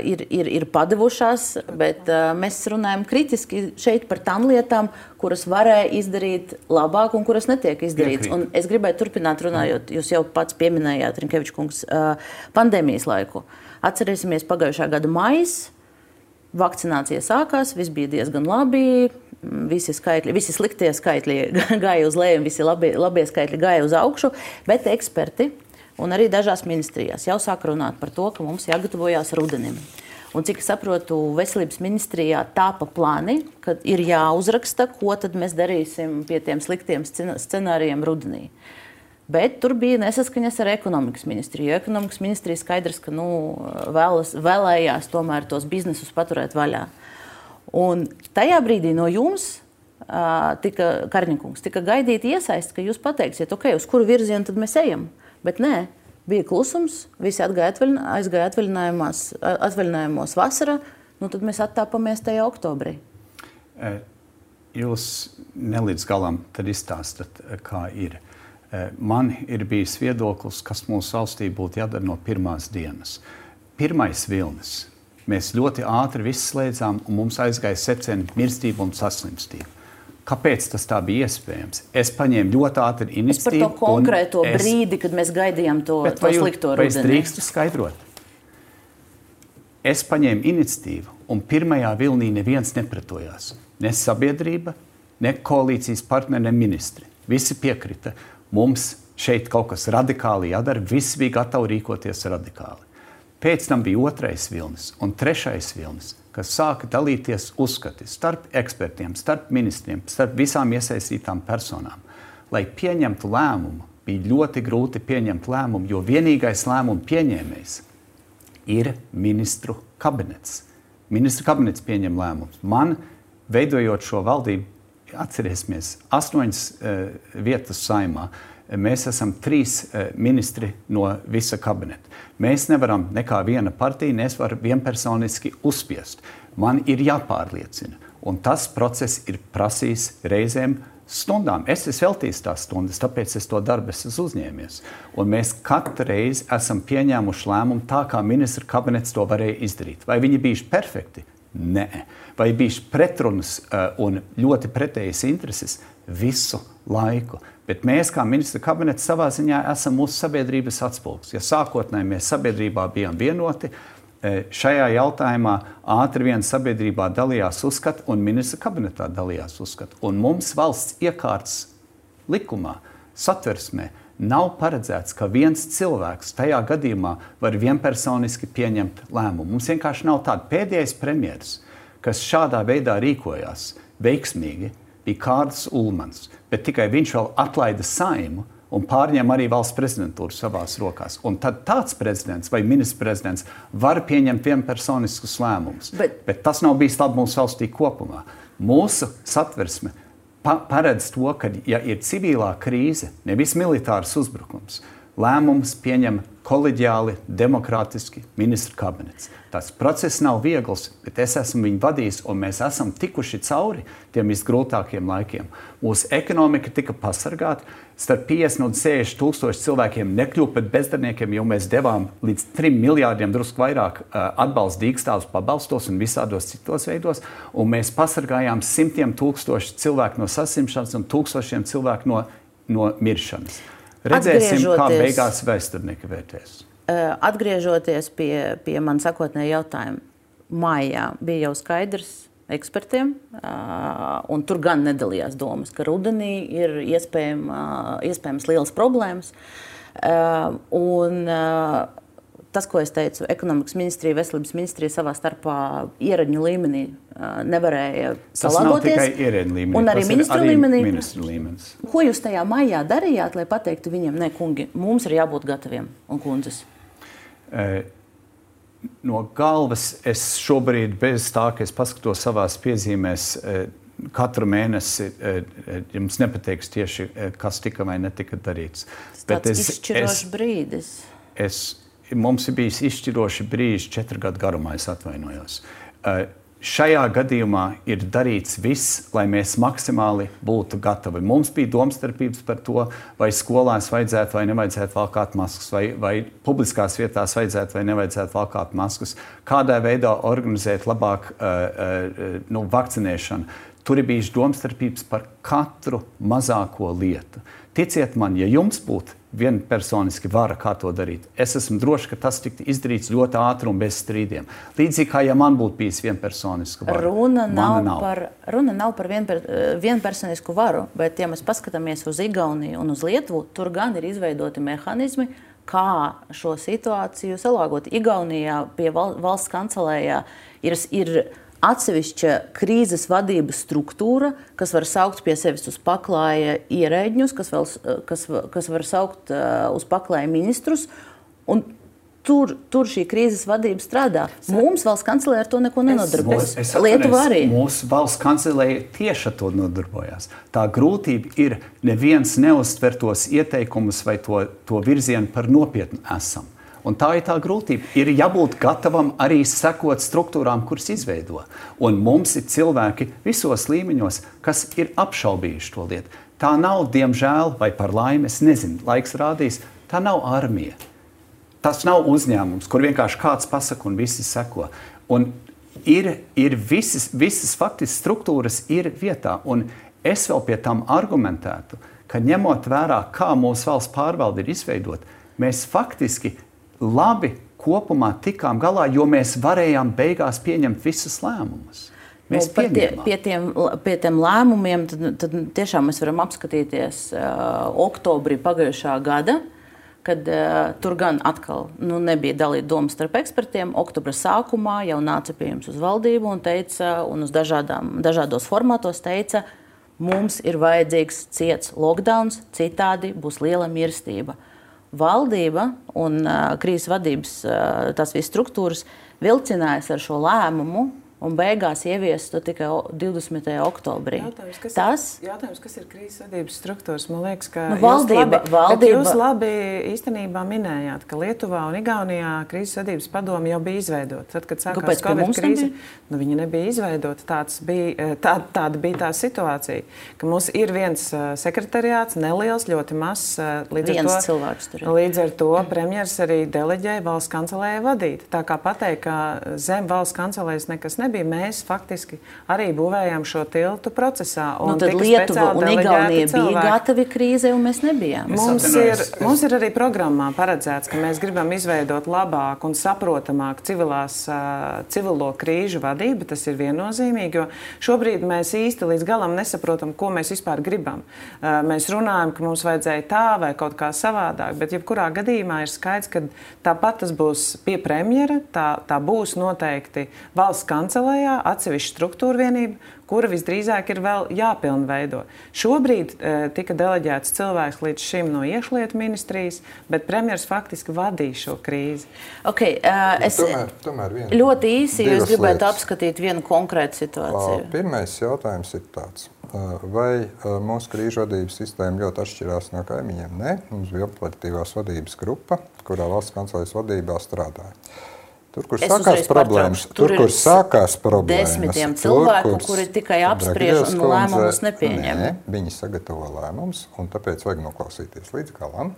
ir, ir, ir padevušās, bet mēs runājam kritiski šeit par tām lietām, kuras varēja izdarīt labāk un kuras netiek izdarīts. Un es gribēju turpināt runājot, jūs jau pats pieminējāt, Rinkeviča kungs, pandēmijas laiku. Atcerēsimies pagājušā gada maijs, vakcinācija sākās, viss bija diezgan labi, visi, skaitļi, visi sliktie skaitļi gāja uz leju, visi labie, labie skaitļi gāja uz augšu, bet eksperti un arī dažās ministrijās jau sāk runāt par to, ka mums jāgatavojās rudenim. Un cik es saprotu, veselības ministrijā tāpa plāni, ka ir jāuzraksta, ko tad mēs darīsim pie tiem sliktiem scenārijiem rudenī. Bet tur bija nesaskaņas ar ekonomikas ministriju. Ekonomikas ministrija skaidrs, ka nu, vēlas, vēlējās tomēr tos biznesus paturēt vaļā. Un tajā brīdī no jums, tika, Karņikungs, tika gaidīti iesaist, ka jūs pateiksiet, ok, uz kuru virzienu tad mēs ejam. Bet nē. Bija klusums, visi aizgāja atvaļinājumos vasarā, nu tad mēs attāpamies tajā oktobrī. Jūs nelīdz galam tad izstāstat, kā ir. Man ir bijis viedoklis, kas mūsu valstī būtu jādara no pirmās dienas. Pirmais vilnis. Mēs ļoti ātri viss slēdzām, un mums aizgāja septiņi mirstība un saslimstība. Kāpēc tas tā bija iespējams? Es paņēmu ļoti ātri iniciatīvu. Es par to konkrēto es... brīdi, kad mēs gaidījām to, to slikto rudeni. Vai es drīkstu skaidrot? Es paņēmu iniciatīvu, un pirmajā vilnī neviens nepretojās. Ne sabiedrība, ne koalīcijas partneri, ne ministri. Visi piekrita. Mums šeit kaut kas radikāli jādara. Visi bija gatavi rīkoties radikāli. Pēc tam bija otrais vilnis un trešais vilnis, kas sāka dalīties uzskati starp ekspertiem, starp ministriem, starp visām iesaistītām personām. Lai pieņemtu lēmumu, bija ļoti grūti pieņemt lēmumu, jo vienīgais lēmumu pieņēmējs ir ministru kabinets. Ministru kabinets pieņem lēmumus. Man, veidojot šo valdību, atcerēsimies, astoņas uh, vietas saimā, mēs esam trīs uh, ministri no visa kabineta. Mēs nevaram nekā viena partija, nevar vienpersoniski uzspiest. Man ir jāpārliecina. Un tas process ir prasījis reizēm stundām. Es esmu veltījis tās stundas, tāpēc es to darbu esmu uzņēmies. Un mēs katru reizi esam pieņēmuši lēmumu tā, kā ministra kabinets to varēja izdarīt. Vai viņi bijuši perfekti? Nē. Vai bijuši pretrunas uh, un ļoti pretējas intereses? Visu laiku. Bet mēs, kā ministra kabinets, savā ziņā esam mūsu sabiedrības atspulgs. Ja sākotnēji mēs sabiedrībā bijām vienoti, šajā jautājumā ātri vien sabiedrībā dalījās uzskati un ministra kabinetā dalījās uzskati. Un mums valsts iekārtas likumā, satversmē, nav paredzēts, ka viens cilvēks tajā gadījumā var vienpersoniski pieņemt lēmumu. Mums vienkārši nav tāda. Pēdējais premjeras, kas šādā veidā rīkojās veiksmīgi, bija Kārlis Ulmans, bet tikai viņš vēl atlaida Saimu un pārņem arī valsts prezidentūru savās rokās. Un tad tāds prezidents vai ministrs prezidents var pieņemt vienpersoniskus lēmumus. Bet, bet tas nav bijis labi mūsu valstī kopumā. Mūsu satversme pa paredz to, ka, ja ir civilā krīze, nevis militārs uzbrukums, lēmums pieņem koleģiāli, demokrātiski ministru kabinets. Tas process nav viegls, bet es esmu viņu vadījis, un mēs esam tikuši cauri tiem visgrūtākiem laikiem. Mūsu ekonomika tika pasargāta, starp piecdesmit un sešdesmit tūkstoši cilvēkiem nekļuva par bezdarbniekiem, jo mēs devām līdz trim miljārdiem drusku vairāk atbalsta dīkstāvus pabalstos un visādos citos veidos, un mēs pasargājām simtiem tūkstoši cilvēku no saslimšanas un tūkstošiem cilvēku no, no miršanas. Redzēsim, kā beigās vēsturnieki vērtēs. Atgriežoties pie, pie man sakotnēja jautājuma, maijā bija jau skaidrs ekspertiem, un tur gan nedalījās domas, ka rudenī ir iespējama, iespējams lielas problēmas. Un tas, ko es teicu, ekonomikas ministrija, veselības ministrija savā starpā ierēdņu līmenī nevarēja salāgoties. Tas nav tikai ierēdņu līmenī, un arī tas ministru ir arī līmenī. ministru līmenis. Ko jūs tajā maijā darījāt, lai pateiktu viņiem, ne, kungi, mums ir jābūt gataviem, un kundzes? No galvas es šobrīd bez tā, ka es paskatos savās piezīmēs, katru mēnesi jums nepateiks tieši, kas tika vai netika darīts. Tas tāds izšķirošs brīdis. Es, mums ir bijis izšķiroši brīži četru gadu garumā, es atvainojos. Šajā gadījumā ir darīts viss, lai mēs maksimāli būtu gatavi. Mums bija domstarpības par to, vai skolās vajadzētu vai nevajadzētu valkāt maskas, vai, vai publiskās vietās vajadzētu vai nevajadzētu valkāt maskas, kādā veidā organizēt labāk uh, uh, nu, vakcinēšanu. Tur ir bijuši domstarpības par katru mazāko lietu. Ticiet man, ja jums būtu vienpersoniski vara, kā to darīt, es esmu droši, ka tas tiktu izdarīts ļoti ātri un bez strīdiem. Līdzīgi kā, ja man būtu bijis vienpersoniska vara. Runa nav, nav. Par, runa nav par vienper, vienpersonisku varu, bet, ja mēs paskatāmies uz Igauniju un uz Lietuvu, tur gan ir izveidoti mehānismi, kā šo situāciju salāgot. Igaunijā pie valsts kancelējā ir, ir atsevišķa krīzes vadības struktūra, kas var saukt pie sevis uz paklāja ierēģņus, kas, vēl, kas, kas var saukt uz paklāja ministrus. Un Tur, tur šī krīzes vadība strādā. Mums valsts kancelēja ar to neko nenodarbojas. Lietuva arī. Mūsu valsts kancelēja tieši ar to nodarbojās. Tā grūtība ir neviens neuztver tos ieteikumus vai to, to virzienu par nopietnu esam. Un tā ir tā grūtība. Ir jābūt gatavam arī sekot struktūrām, kuras izveido. Un mums ir cilvēki visos līmeņos, kas ir apšaubījuši to lietu. Tā nav, diemžēl, vai par laimi, es nezinu, laiks rādīs, tā nav armija. Tas nav uzņēmums, kur vienkārši kāds pasaka un visi seko. Un ir, ir visas, visas faktiski struktūras ir vietā. Un es vēl pie tam argumentētu, ka ņemot vērā, kā mūsu valsts pārvalde ir izveidot, mēs faktiski labi kopumā tikām galā, jo mēs varējām beigās pieņemt visus lēmumus. Mēs nu, tie, pie, tiem, pie tiem lēmumiem tad, tad tiešām mēs varam apskatīties uh, oktobrī pagājušā gada, kad uh, tur gan atkal nu, nebija dalīta doma starp ekspertiem. Oktobra sākumā jau nāca pie jums uz valdību un teica, un uz dažādām, dažādos formātos teica, mums ir vajadzīgs ciets lockdowns, citādi būs liela mirstība. Valdība un uh, krīzes vadības uh, tās visas struktūras vilcinājās ar šo lēmumu, un beigās ievies to tikai divdesmitajā oktobrī. Jautājums, kas, Tas, ir, jautājums, kas ir krīzes vadības struktūras? Man liekas, ka nu, valdība, jūs, labi, valdība... jūs labi īstenībā minējāt, ka Lietuvā un Igaunijā krīzes vadības padome jau bija izveidota. Tad, kad sākās Kāpēc, Covid krīze, nu, viņa nebija izveidota. Tāds bija, tā, tāda bija tā situācija, ka mums ir viens sekretariāts, neliels, ļoti mazs. Līdz viens ar to, cilvēks tur ir. Līdz ar to premjers arī deleģēja valsts kancelējai vadīt. Tā kā pateikt, ka zem valsts kancelējas nekas nebija, mēs faktiski arī būvējām šo tiltu procesā. Un nu, tad Lietuva un Igaunija bija gatavi krīzei, un mēs nebijām. Mums ir, mums ir arī programmā paredzēts, ka mēs gribam izveidot labāku un saprotamāku civilās, civilo krīžu vadību. Tas ir viennozīmīgi, jo šobrīd mēs īsti līdz galam nesaprotam, ko mēs vispār gribam. Mēs runājam, ka mums vajadzēja tā vai kaut kā savādāk, bet jebkurā gadījumā ir skaidrs, ka tāpat tas būs pie premjera, tā, tā būs noteikti valsts kancelējā, atsevišķa struktūra vienība, kura visdrīzāk ir vēl jāpilnveido. Šobrīd e, tika deleģēts cilvēks līdz šim no iekšlietu ministrijas, bet premjers faktiski vadīja šo krīzi. Okay, uh, es tomēr, tomēr vien, ļoti īsi jūs gribētu lietas. apskatīt vienu konkrētu situāciju. Pirmais jautājums ir tāds. Vai mūsu krīžu vadības sistēma ļoti atšķirās no kaimiņiem? Nē, mums bija operatīvās vadības grupa, kurā valsts kancelējas vadībā strādāja. Tur, kur es sākās problēmas, tur, tur kur sākās problēmas, desmitiem cilvēku, tur, kuri tikai apspriež un lēmumus nepieņem. Nē, viņi sagatavo lēmumus, un tāpēc vajag noklausīties līdz galam.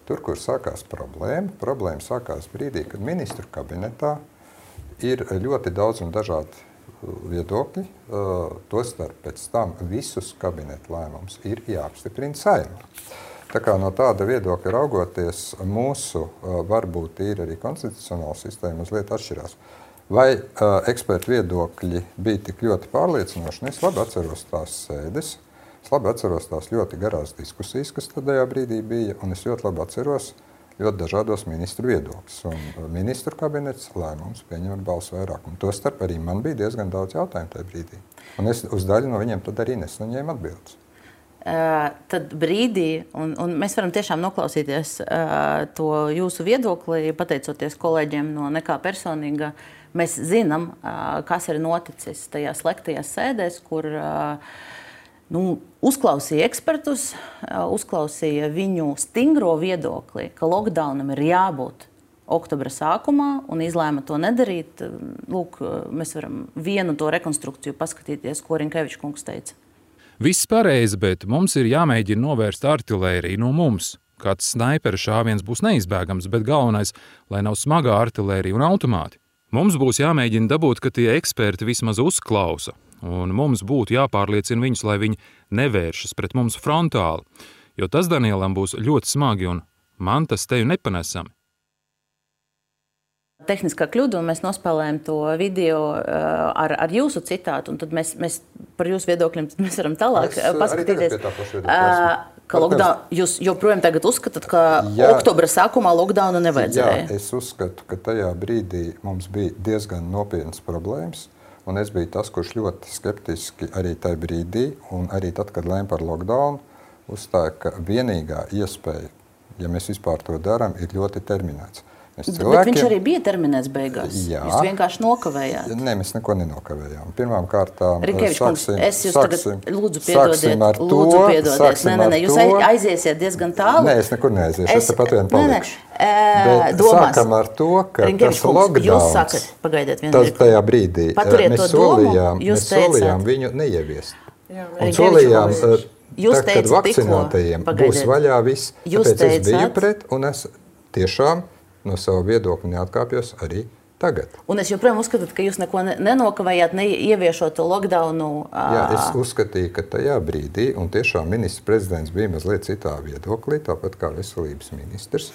Tur, kur sākās problēma, problēma sākās brīdī, kad ministru kabinetā ir ļoti daudz un dažādi viedokļi, tostarp pēc tam visus kabinetu lēmumus ir jāapstiprina Saeimā. Tā kā no tāda viedokļa raugoties, mūsu varbūt ir arī konstitucionāla sistēma mazliet atšķirās. Vai uh, ekspertu viedokļi bija tik ļoti pārliecinoši? Es labi atceros tās sēdes, es labi atceros tās ļoti garās diskusijas, kas tajā brīdī bija, un es ļoti labi atceros ļoti dažādos ministru viedokļus. Un ministru kabinets lēmums pieņem ar balsu vairākumu. Tostarp arī man bija diezgan daudz jautājumu tajā brīdī. Un es uz daļu no viņiem tad arī nesaņēmu atbildes. Uh, tad brīdī, un, un mēs varam tiešām noklausīties uh, to jūsu viedokli, pateicoties kolēģiem no Nekā personīga. Mēs zinām, uh, kas ir noticis tajās slēgtajās sēdēs, kur uh, nu, uzklausīja ekspertus, uh, uzklausīja viņu stingro viedokli, ka lockdownam ir jābūt oktobra sākumā un izlēma to nedarīt. Lūk, mēs varam vienu to rekonstrukciju paskatīties, ko Rinkevičs kungs teica. Viss pareizi, bet mums ir jāmēģina novērst artilēriju no mums. Kāds snaipera šāviens būs neizbēgams, bet galvenais, lai nav smagā artilērija un automāti. Mums būs jāmēģina dabūt, ka tie eksperti vismaz uzklausa, un mums būtu jāpārliecina viņus, lai viņi nevēršas pret mums frontāli, jo tas Danielam būs ļoti smagi, un man tas teju nepanesami. Tehniskā kļūda, un mēs nospēlējam to video uh, ar, ar jūsu citātu, un tad mēs, mēs par jūsu viedokļiem mēs varam tālāk es, paskatīties. Uh, Ka lockdown, jūs joprojām tagad uzskatāt, ka jā, oktobra sākumā lockdownu nevajadzēja? Jā, es uzskatu, ka tajā brīdī mums bija diezgan nopietnas problēmas. Un es biju tas, kurš ļoti skeptiski arī tajā brīdī, un arī tad, kad lēma par lockdown, uzstāja, ka vienīgā iespēja, ja mēs vispār to darām, ir ļoti terminēts. Cilvēkiem... Bet viņš arī bija terminēts beigās. Jā. Jūs vienkārši nokavējāt. Nē, mēs neko nenokavējām. Pirmām kārtām Rikēvičs kungs, es jūs sāksim, tagad lūdzu piedodiet. Lūdzu piedodiet. Nē, nē, nē, jūs to... aiziesiet diezgan tālu. Nē, es nekur neaiziešu. Es, es tepat vien palikšu. Nē, nē. Domās. Sākam ar to, ka Rikēvičs tas lockdowns, jūs sakat, pagaidiet vienu tas tajā brīdī, Paturiet mēs to domu, solījām, jūs mēs solījām viņu neieviest. Jā, un solījām, jūs tā, kad vakcinātajiem būs vaļā viss, tāpēc es biju pret, un es tiešām no sava viedokļa neatkāpjos arī tagad. Un es joprojām uzskatu, ka jūs neko nenokavējāt, neieviešot to lockdownu. Jā, es uzskatīju, ka tajā brīdī, un tiešām ministrs prezidents bija mazliet citā viedoklī, tāpat kā veselības ministrs,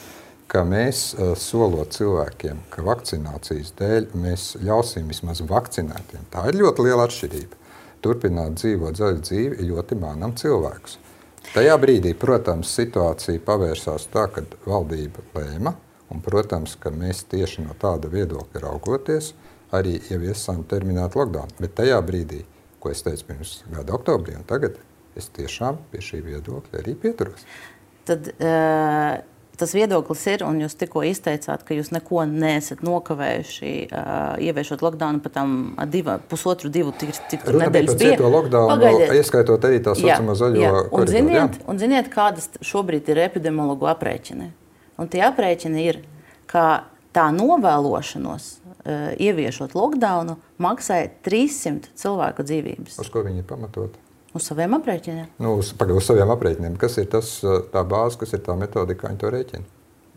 ka mēs solot cilvēkiem, ka vakcinācijas dēļ mēs ļausim vismaz vakcinētiem. Tā ir ļoti liela atšķirība. Turpināt dzīvot zaļu dzīvi ļoti mānam cilvēkus. Tajā brīdī, protams, situācija pavērsās tā, kad valdība lēma, un, protams, ka mēs tieši no tāda viedokļa raugoties arī ieviesām terminētu lockdown. Bet tajā brīdī, ko es teicu pirms gada oktobrī, un tagad es tiešām pie šī viedokļa arī pieturos. Tad uh, tas viedoklis ir, un jūs tikko izteicāt, ka jūs neko neesat nokavējuši uh, ieviešot lockdownu pat tam diva, pusotru, divu tik, tik Runa nedēļas bija. Runa bija par cieto lockdownu, ieskaitot arī tā saucamo zaļo koridoru. Un ziniet, un ziniet, kādas šobrīd ir epidemiologu aprēķini? Un tie aprēķini ir, ka tā novēlošanos, uh, ieviešot lockdownu, maksāja trīssimt cilvēku dzīvības. Uz ko viņi ir pamatoti? Uz saviem aprēķiniem. Nu, uz, pagaid, uz saviem aprēķiniem. Kas ir tas, tā bāze, kas ir tā metodika, kā viņi to rēķina?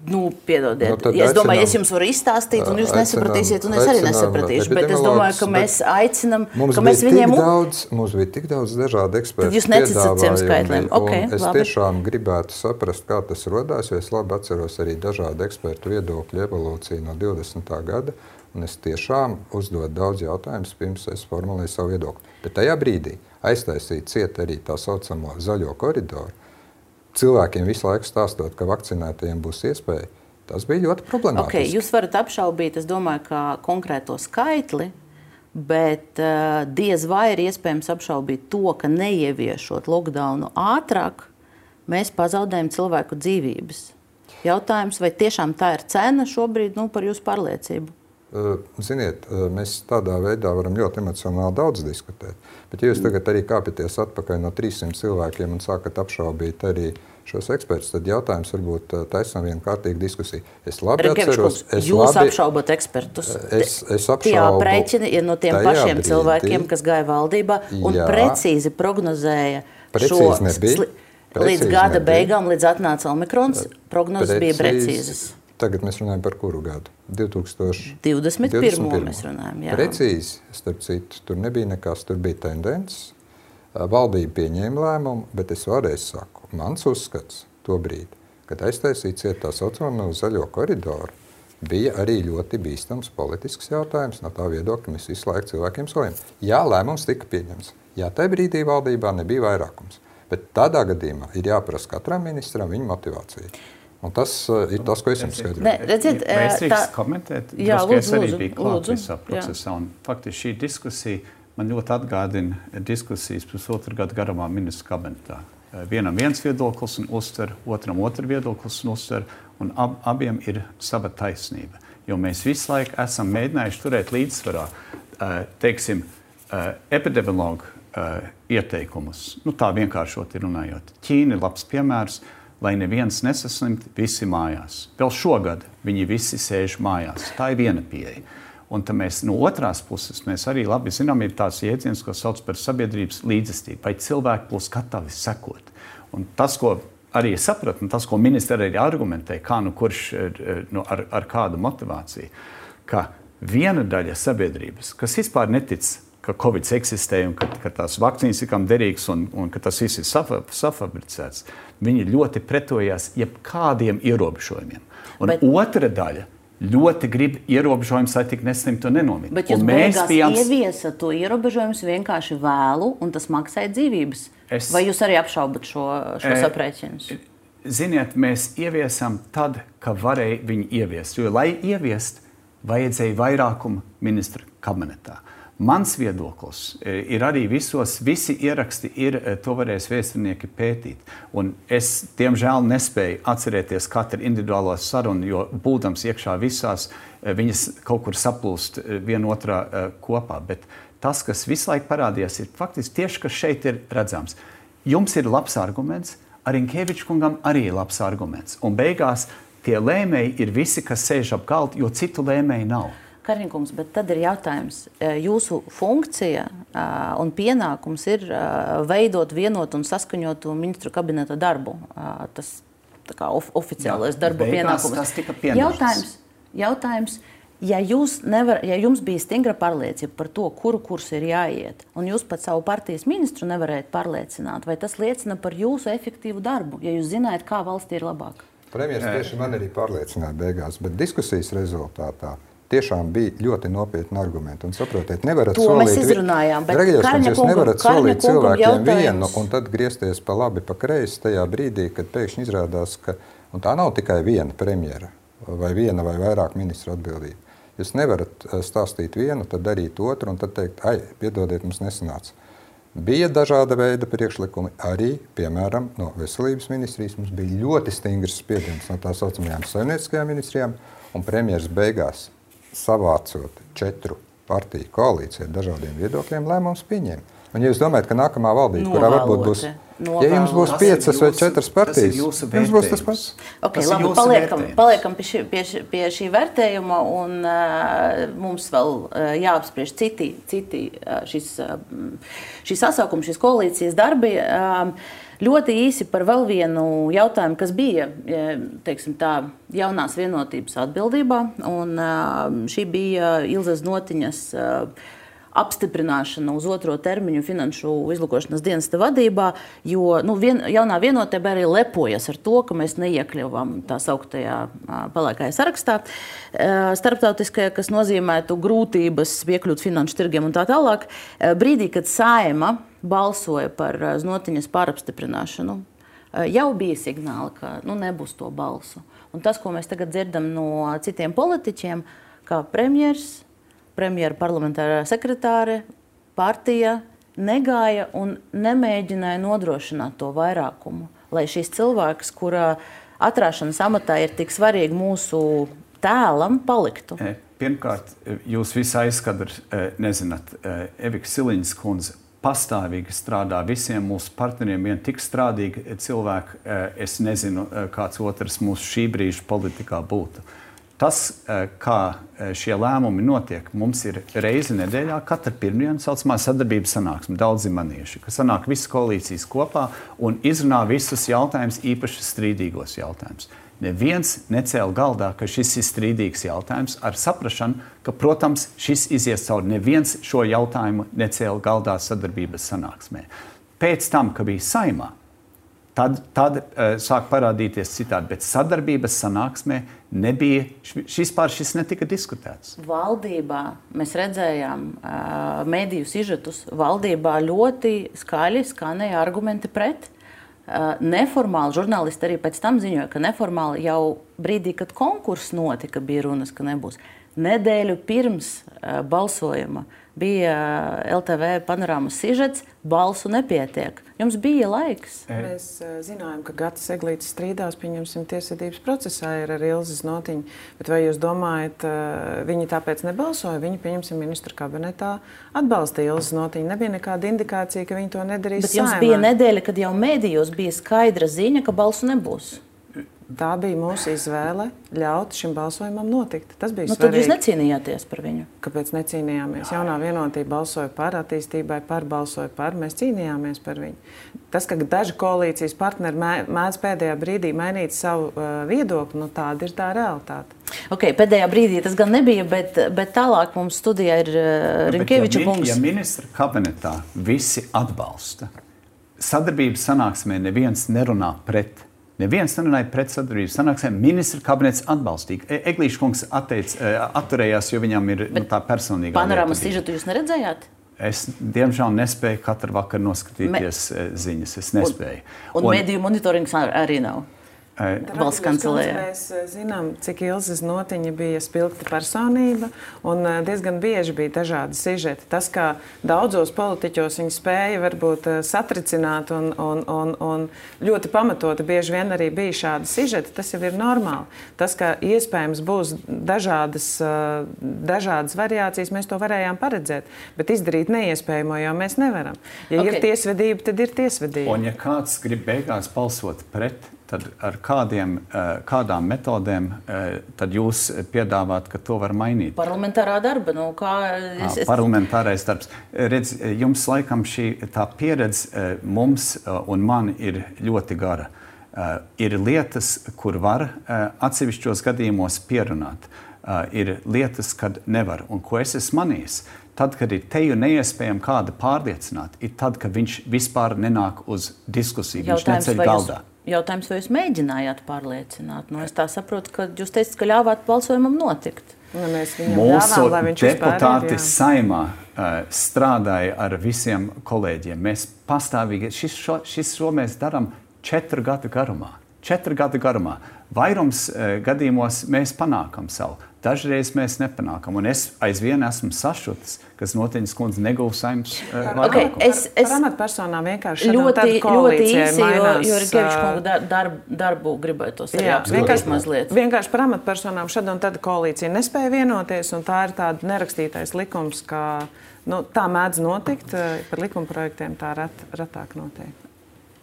Nu, piedodiet. Nu, es aicinām, domāju, es jums varu izstāstīt, un jūs aicinām, nesapratīsiet, un es arī nesapratīšu. Bet es domāju, ka mēs aicinām, ka mēs viņiem... Daudz, mums bija tik daudz dažādu ekspertu. Tad jūs neticat ciem skaitļiem. Okay, es labi. Tiešām gribētu saprast, kā tas rodās, jo es labi atceros arī dažādu ekspertu viedokļu evolūciju no divdesmitā gada, un es tiešām uzdodu daudz jautājumus, pirms es formulēju savu viedokli. Bet tajā brīdī aiztaisīt ciet arī tā saucamo zaļo koridoru, cilvēkiem visu laiku stāstot, ka vakcinētajiem būs iespēja, tas bija ļoti problemātiski. Okay, jūs varat apšaubīt, es domāju, ka konkrēto skaitli, bet uh, diez vai ir iespējams apšaubīt to, ka neieviešot lockdownu ātrāk, mēs pazaudējam cilvēku dzīvības. Jautājums, vai tiešām tā ir cena šobrīd, nu, par jūsu pārliecību? Uh, ziniet, uh, mēs tādā veidā varam ļoti emocionāli daudz diskutēt. Bet ja jūs tagad arī kāpjaties atpakaļ no trīssimt cilvēkiem un sākat apšaubīt arī šos ekspertus, tad jautājums varbūt taisam vienu kārtīgu diskusiju. Es labi atceros... Es jūs labi, apšaubat ekspertus. Es, es apšaubu... Tie aprēķini ir no tiem pašiem brīdī, cilvēkiem, kas gāja valdībā un jā, precīzi prognozēja precīzi šo... Nebija, līdz gada nebija. Beigām, līdz atnāca Omikrons, prognozes precīzi, bija precīzas. Tagad mēs runājam par kuru gadu? divdesmit pirmo mēs runājam, jā. Precīzi, starp citu, tur nebija nekas, tur bija tendences. Valdība pieņēma lēmumu, bet es vēlreiz saku, mans uzskats to brīdi, kad aiztaisīt ciet tā saucamo zaļo koridoru, bija arī ļoti bīstams politisks jautājums no tā viedokļa, mēs visu laiku cilvēkiem solījām. Jā, lēmums tika pieņemts. Jā, tajā brīdī valdībā nebija vairākums. Bet tādā gadījumā ir jāprasa katram ministram viņa motivācija. Un tas uh, ir tas, ko es jums skaidroju. Redziet, es drīkst komentēt, jā, drusku, es lūdzu, arī biju klāt lūdzu, visā procesā. Un faktiski šī diskusija man ļoti atgādina diskusijas pusotru gadu garumā ministru kabinetā. Vienam viens viedoklis un uztver, otram otru viedoklis un uztver, un ab, abiem ir sava taisnība. Jo mēs visu laiku esam mēģinājuši turēt līdzsvarā, teiksim, epidemiologu ieteikumus. Nu, tā vienkāršoti runājot. Ķīna ir labs piemērs, lai neviens nesaslimt, visi mājās. Vēl šogad viņi visi sēž mājās. Tā ir viena pieeja. Un tad mēs no otrās puses, mēs arī labi zinām, ir tāds jēdziens, ko sauc par sabiedrības līdzestību, vai cilvēki būs gatavi sekot. Un tas, ko arī sapratu, un tas, ko ministri arī argumentē, kā nu kurš nu, ar, ar kādu motivāciju, ka viena daļa sabiedrības, kas vispār netic, ka Covid eksistē un ka, ka tās vakcīnas ir kam derīgs un, un ka tas viss ir safa, safabricēts, viņi ļoti pretojās jebkādiem ierobežojumiem. Un Bet... otra daļa ļoti grib ierobežojumus, lai tik neslimtu un nenomītu. Bet jūs beigās bijām... ieviesat to ierobežojumus vienkārši vēlu, un tas maksāja dzīvības. Es... Vai jūs arī apšaubat šo, šo e... aprēķinus? Ziniet, mēs ieviesam tad, kad varēja viņu ieviest. Jo, lai ieviest, vajadzēja vairākumu ministra kabinetā. Mans viedoklis ir arī visos, visi ieraksti ir, to varēs vēsturnieki pētīt. Un es, diemžēl, nespēju atcerēties katru individuālo sarunu, jo būdams iekšā visās, viņas kaut kur saplūst vienotrā kopā. Bet tas, kas visu laiku parādījās, ir faktiski tieši, kas šeit ir redzams. Jums ir labs arguments, Rinkēviča kungam arī ir labs arguments. Un beigās tie lēmēji ir visi, kas sēž ap galdu, jo citu lēmēju nav. Kariņkungs, bet tad ir jautājums. Jūsu funkcija un pienākums ir veidot vienotu un saskaņotu ministru kabineta darbu. Tas tā kā of, oficiālais Jā, darba pienākums. Tas tika pienākums. Jautājums, jautājums ja, jūs nevar, ja jums bija stingra pārliecība par to, kuru kursu ir jāiet, un jūs pat savu partijas ministru nevarējat pārliecināt, vai tas liecina par jūsu efektīvu darbu, ja jūs zinājat, kā valstī ir labāk? Premjers tieši man arī pārliecināja beigās, bet diskusijas rezultātā tiešām bija ļoti nopietni argumenti. Un saprotiet, nevarat to solīt... mēs izrunājām, bet Karņa jūs nevarat solīt cilvēkiem jautājums. Vienu un tad griezties pa labi, pa kreisi tajā brīdī, kad pēkšņi izrādās, ka... Un tā nav tikai viena premjera vai viena vai vairāk ministra atbildība. Jūs nevarat stāstīt vienu, tad darīt otru un tad teikt, ai, piedodiet, mums nesanāca. Bija dažāda veida priekšlikumi, arī, piemēram, no veselības ministrijas mums bija ļoti stingrs spiediens no tā saucamajām saimnieciskajām ministrijām, un premjeras beigās savācot četru partiju koalīciju ar dažādiem viedokļiem, lēmums pieņēma. Un ja jūs domājat, ka nākamā valdība, kurā varbūt būs, ja jums būs piecas vai četras partijas, jums būs tas pats. Ok, labi, paliekam, paliekam pie, šī, pie, šī, pie šī vērtējuma un uh, mums vēl uh, jāapspriež citi, citi uh, šis, uh, šis sasaukums, šis koalīcijas darbi. Uh, Ļoti īsi par vēl vienu jautājumu, kas bija, teiksim tā, jaunās vienotības atbildībā. Un šī bija Ilzes Notiņas apstiprināšana uz otro termiņu finanšu izlūkošanas dienesta vadībā, jo nu, vien, jaunā vienotība arī lepojas ar to, ka mēs neiekļuvām tā sauktajā pelēkajā sarakstā starptautiskajā, kas nozīmētu grūtības piekļūt finanšu tirgiem un tā tālāk. Brīdī, kad Saeima balsoja par Notiņas pārapstiprināšanu, jau bija signāli, ka nu, nebūs to balsu. Un tas, ko mēs tagad dzirdam no citiem politiķiem, kā premjers, premjera parlamentārā sekretāre, partija negāja un nemēģināja nodrošināt to vairākumu, lai šīs cilvēks, kura atrāšanas amatā ir tik svarīgi mūsu tēlam, paliktu. Pirmkārt, jūs visi aizkadri nezināt, Evika Siliņas kundze pastāvīgi strādā visiem mūsu partneriem, vien tik strādīgi cilvēki, es nezinu, kāds otrs mūsu šī brīža politikā būtu. Tas, kā šie lēmumi notiek, mums ir reizi nedēļā, katra pirmdiena saucamā sadarbības sanāksme, daudzi manieši, ka sanāk visas koalīcijas kopā un izrunā visus jautājumus, īpaši strīdīgos jautājumus. Neviens necēla galdā, ka šis ir strīdīgs jautājums ar saprašanu, ka, protams, šis izies cauri. Neviens šo jautājumu necēla galdā sadarbības sanāksmē. Pēc tam, ka bija Saeimā, tad, tad uh, sāk parādīties citādi, bet sadarbības sanāksmē nebija, šis pār šis netika diskutēts. Valdībā mēs redzējām uh, mediju sižetus, valdībā ļoti skaļi skanēja argumenti pret. Uh, neformāli, žurnālisti arī pēc tam ziņoja, ka neformāli jau brīdī, kad konkurss notika, bija runas, ka nebūs. Nedēļu pirms uh, balsojuma bija uh, L T V panorāmas sižets, balsu nepietiek. Jums bija laiks. Mēs uh, zinājām, ka Gatis Eglītis strīdās, pieņemsim, tiesvedības procesā ir ar Ilzes Notiņu, bet vai jūs domājat, uh, viņi tāpēc nebalsoja? Viņi, pieņemsim, ministra kabinetā atbalstīja Ilzes Notiņu. Nebija nekāda indikācija, ka viņi to nedarīs Bet jums Saeimā. Bija nedēļa, kad jau mēdījos bija skaidra ziņa, ka balsu nebūs. Tā bija mūsu izvēle ļaut šim balsojumam notikt. Tas bija nu, svarīgi. Tad jūs necīnījāties par viņu? Kāpēc necīnījāmies? Jaunā vienotība balsoja par attīstībai, par balsoja par. Mēs cīnījāmies par viņu. Tas, ka daži koalīcijas partneri mēdz pēdējā brīdī mainīt savu uh, viedokli, nu tāda ir tā realitāte. Ok, pēdējā brīdī tas gan nebija, bet, bet tālāk mums studijā ir uh, Rinkēviča ja, kungs. Ja ministra kabinetā visi atbalsta, sadarbības sanāksmē neviens nerunā pret, Neviens nerunāja pret sadarbību sanāksmēm. Ministra kabinets atbalstīja. Eglīša kungs atteic, atturējās, jo viņam ir nu, tā personīgā lieta. Panorāmas sižetu jūs neredzējāt? Es, diemžēl, nespēju katru vakaru noskatīties Me... ziņas. Es nespēju. Un, un, un mediju monitorings arī nav? Valsts kancelējā. Mēs zinām, cik Ilze Znotiņa bija spilgta personība un diezgan bieži bija dažādi sižeti. Tas, kā daudzos politiķos viņi spēja varbūt satricināt un, un, un, un ļoti pamatoti bieži vien arī bija šādi sižeti, tas jau ir normāli. Tas, ka iespējams būs dažādas, dažādas variācijas, mēs to varējām paredzēt, bet izdarīt neiespējamo jau mēs nevaram. Ja okay. ir tiesvedība, tad ir tiesvedība. Un ja kāds grib beigās balsot pret, tad ar kādiem, kādām metodēm tad jūs piedāvāt, ka to var mainīt? Parlamentārā darba. Nu, kā es, es... Parlamentārais darbs. Redz, jums laikam šī tā pieredze mums un man ir ļoti gara. Ir lietas, kur var atsevišķos gadījumos pierunāt. Ir lietas, kad nevar. Un ko es esmu manījis? Tad, kad ir teju neiespējami kāda pārliecināt, ir tad, kad viņš vispār nenāk uz diskusiju, viņš neceļ galdā. Jautājums, vai jūs mēģinājāt pārliecināt? Nu, es tā saprotu, ka jūs teicat, ka ļāvāt balsojumam notikt. Nu, mēs viņam Mūsu ļāvām, lai viņš deputāti vispār, saimā uh, strādāja ar visiem kolēģiem. Mēs pastāvīgi, šis šo, šis šo mēs darām četru gadu garumā. Četru gadu garumā. Vairums uh, gadījumos mēs panākam savu. Dažreiz mēs nepanākam. Un es aizvien esmu sašutis, kas Notiņas kundze neguva saimnes uh, okay, es, es par amatpersonām vienkārši ļoti, ļoti īsi, mainās, jo, jo Rinkeviča kunga darbu, darbu gribētos arī apskatīt mazliet. Vienkārši par amatpersonām šad un tad koalīcija nespēja vienoties, un tā ir tāda nerakstītais likums, ka nu, tā mēdz notikt, par likumprojektiem tā ret, retāk notiek.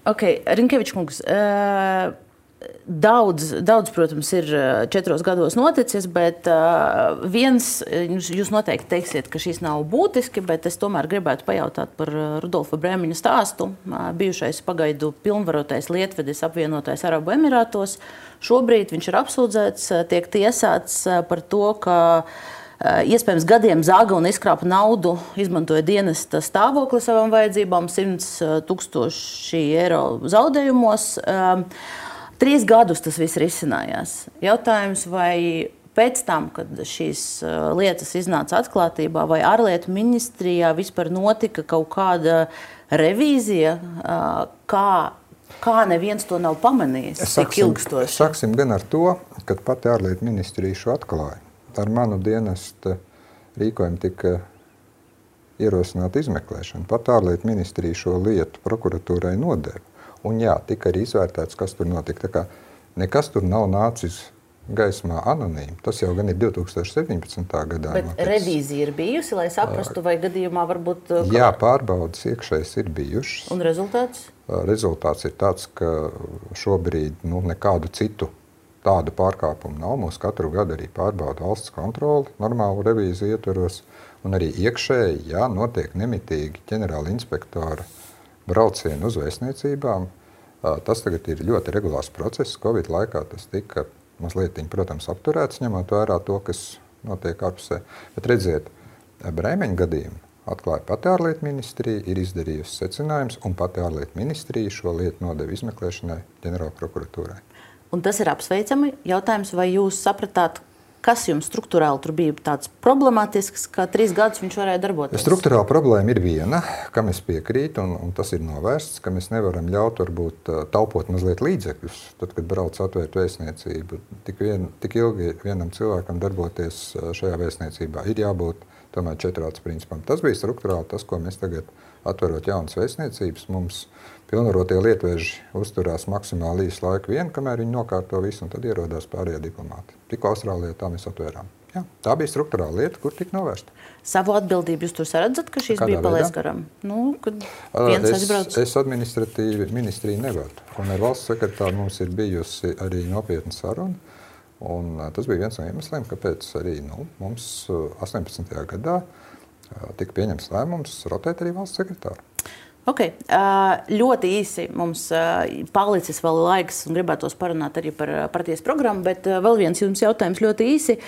Ok, Rinkeviča kungs, uh, Daudz, daudz, protams, ir četros gados noticis, bet uh, viens, jūs noteikti teiksiet, ka šis nav būtiski, bet es tomēr gribētu pajautāt par Rudolfa Brēmiņa stāstu. Uh, bijušais pagaidu pilnvarotais lietvedis apvienotais Arabu Emirātos. Šobrīd viņš ir apsūdzēts, tiek tiesāts par to, ka uh, iespējams gadiem zaga un izkrāpa naudu, izmantoja dienesta stāvokli savām vajadzībām, simts tūkstoši eiro zaudējumos. Uh, Trīs gadus tas viss risinājās. Jautājums, vai pēc tam, kad šīs lietas iznāca atklātībā, vai ārlietu ministrijā vispār notika kaut kāda revīzija, kā, kā neviens to nav pamanījis, cik ilgstoši? Sāksim gan ar to, kad pati ārlietu ministrija šo atklāja. Ar manu dienesta rīkojumu tika ierosināta izmeklēšana. Pat ārlietu ministrija šo lietu prokuratūrai nodeva. Un jā, tika arī izvērtēts, kas tur notika. Tā kā nekas tur nav nācis gaismā anonīmi. Tas jau gan ir divi tūkstoši septiņpadsmitā gadā. Bet noticis. Revīzija ir bijusi, lai saprastu, vai gadījumā varbūt... Jā, pārbaudas iekšējas ir bijušas. Un rezultāts? Rezultāts ir tāds, ka šobrīd nu, nekādu citu tādu pārkāpumu nav. Mūs katru gadu arī pārbauda valsts kontroli, normālu revīziju ietveros. Un arī iekšēji, jā, notiek nemitīgi ģenerāla inspektora braucienu uz vēstniecībām. Tas tagad ir ļoti regulārs process. Covid laikā tas tika mazliet, protams, apturēts, ņemot vērā to, kas notiek ārpusē. Bet redziet, Brēmeņa gadījumu atklāja pati ārlietu ministrija, ir izdarījusi secinājums, un pati ārlietu ministrija šo lietu nodeva izmeklēšanai ģenerāla prokuratūrai. Un tas ir apsveicami. Jautājums, vai jūs sapratāt, kas jums struktūrāli tur bija tāds problemātisks, ka trīs gadus viņš varēja darboties? Struktūrāla problēma ir viena, kam es piekrītu, un, un tas ir novērsts, ka mēs nevaram ļaut varbūt taupot mazliet līdzekļus. Tad, kad brauc atvērt vēstniecību, tik, vien, tik ilgi vienam cilvēkam darboties šajā vēstniecībā ir jābūt tomēr četrāds principam. Tas bija struktūrāli tas, ko mēs tagad atverot jaunas vēstniecības. Mums pilnvarotie lietveži uzturās maksimāli īsu laiku vien, kamēr viņi nokārto visu, un tad ierodās pārējie diplomāti. Tikko Austrālijā tā mēs atvērām. Jā, tā bija struktūrāla lieta, kur tika novērsta. Savu atbildību jūs tur saredzat, ka šīs Kādā bija palaist garām? Nu, kad viens es, aizbrauc? Es administratīvi ministriju nevadu. Un ar valsts sekretāru mums ir bijusi arī nopietna saruna. Un tas bija viens no iemesliem, kāpēc arī nu, mums astoņpadsmitajā gadā tika pieņemts lēmums rotēt arī valsts sekretāru. Okay. Ļoti īsi mums palicis vēl laiks un gribētos parunāt arī par partijas programmu, bet vēl viens jums jautājums ļoti īsi,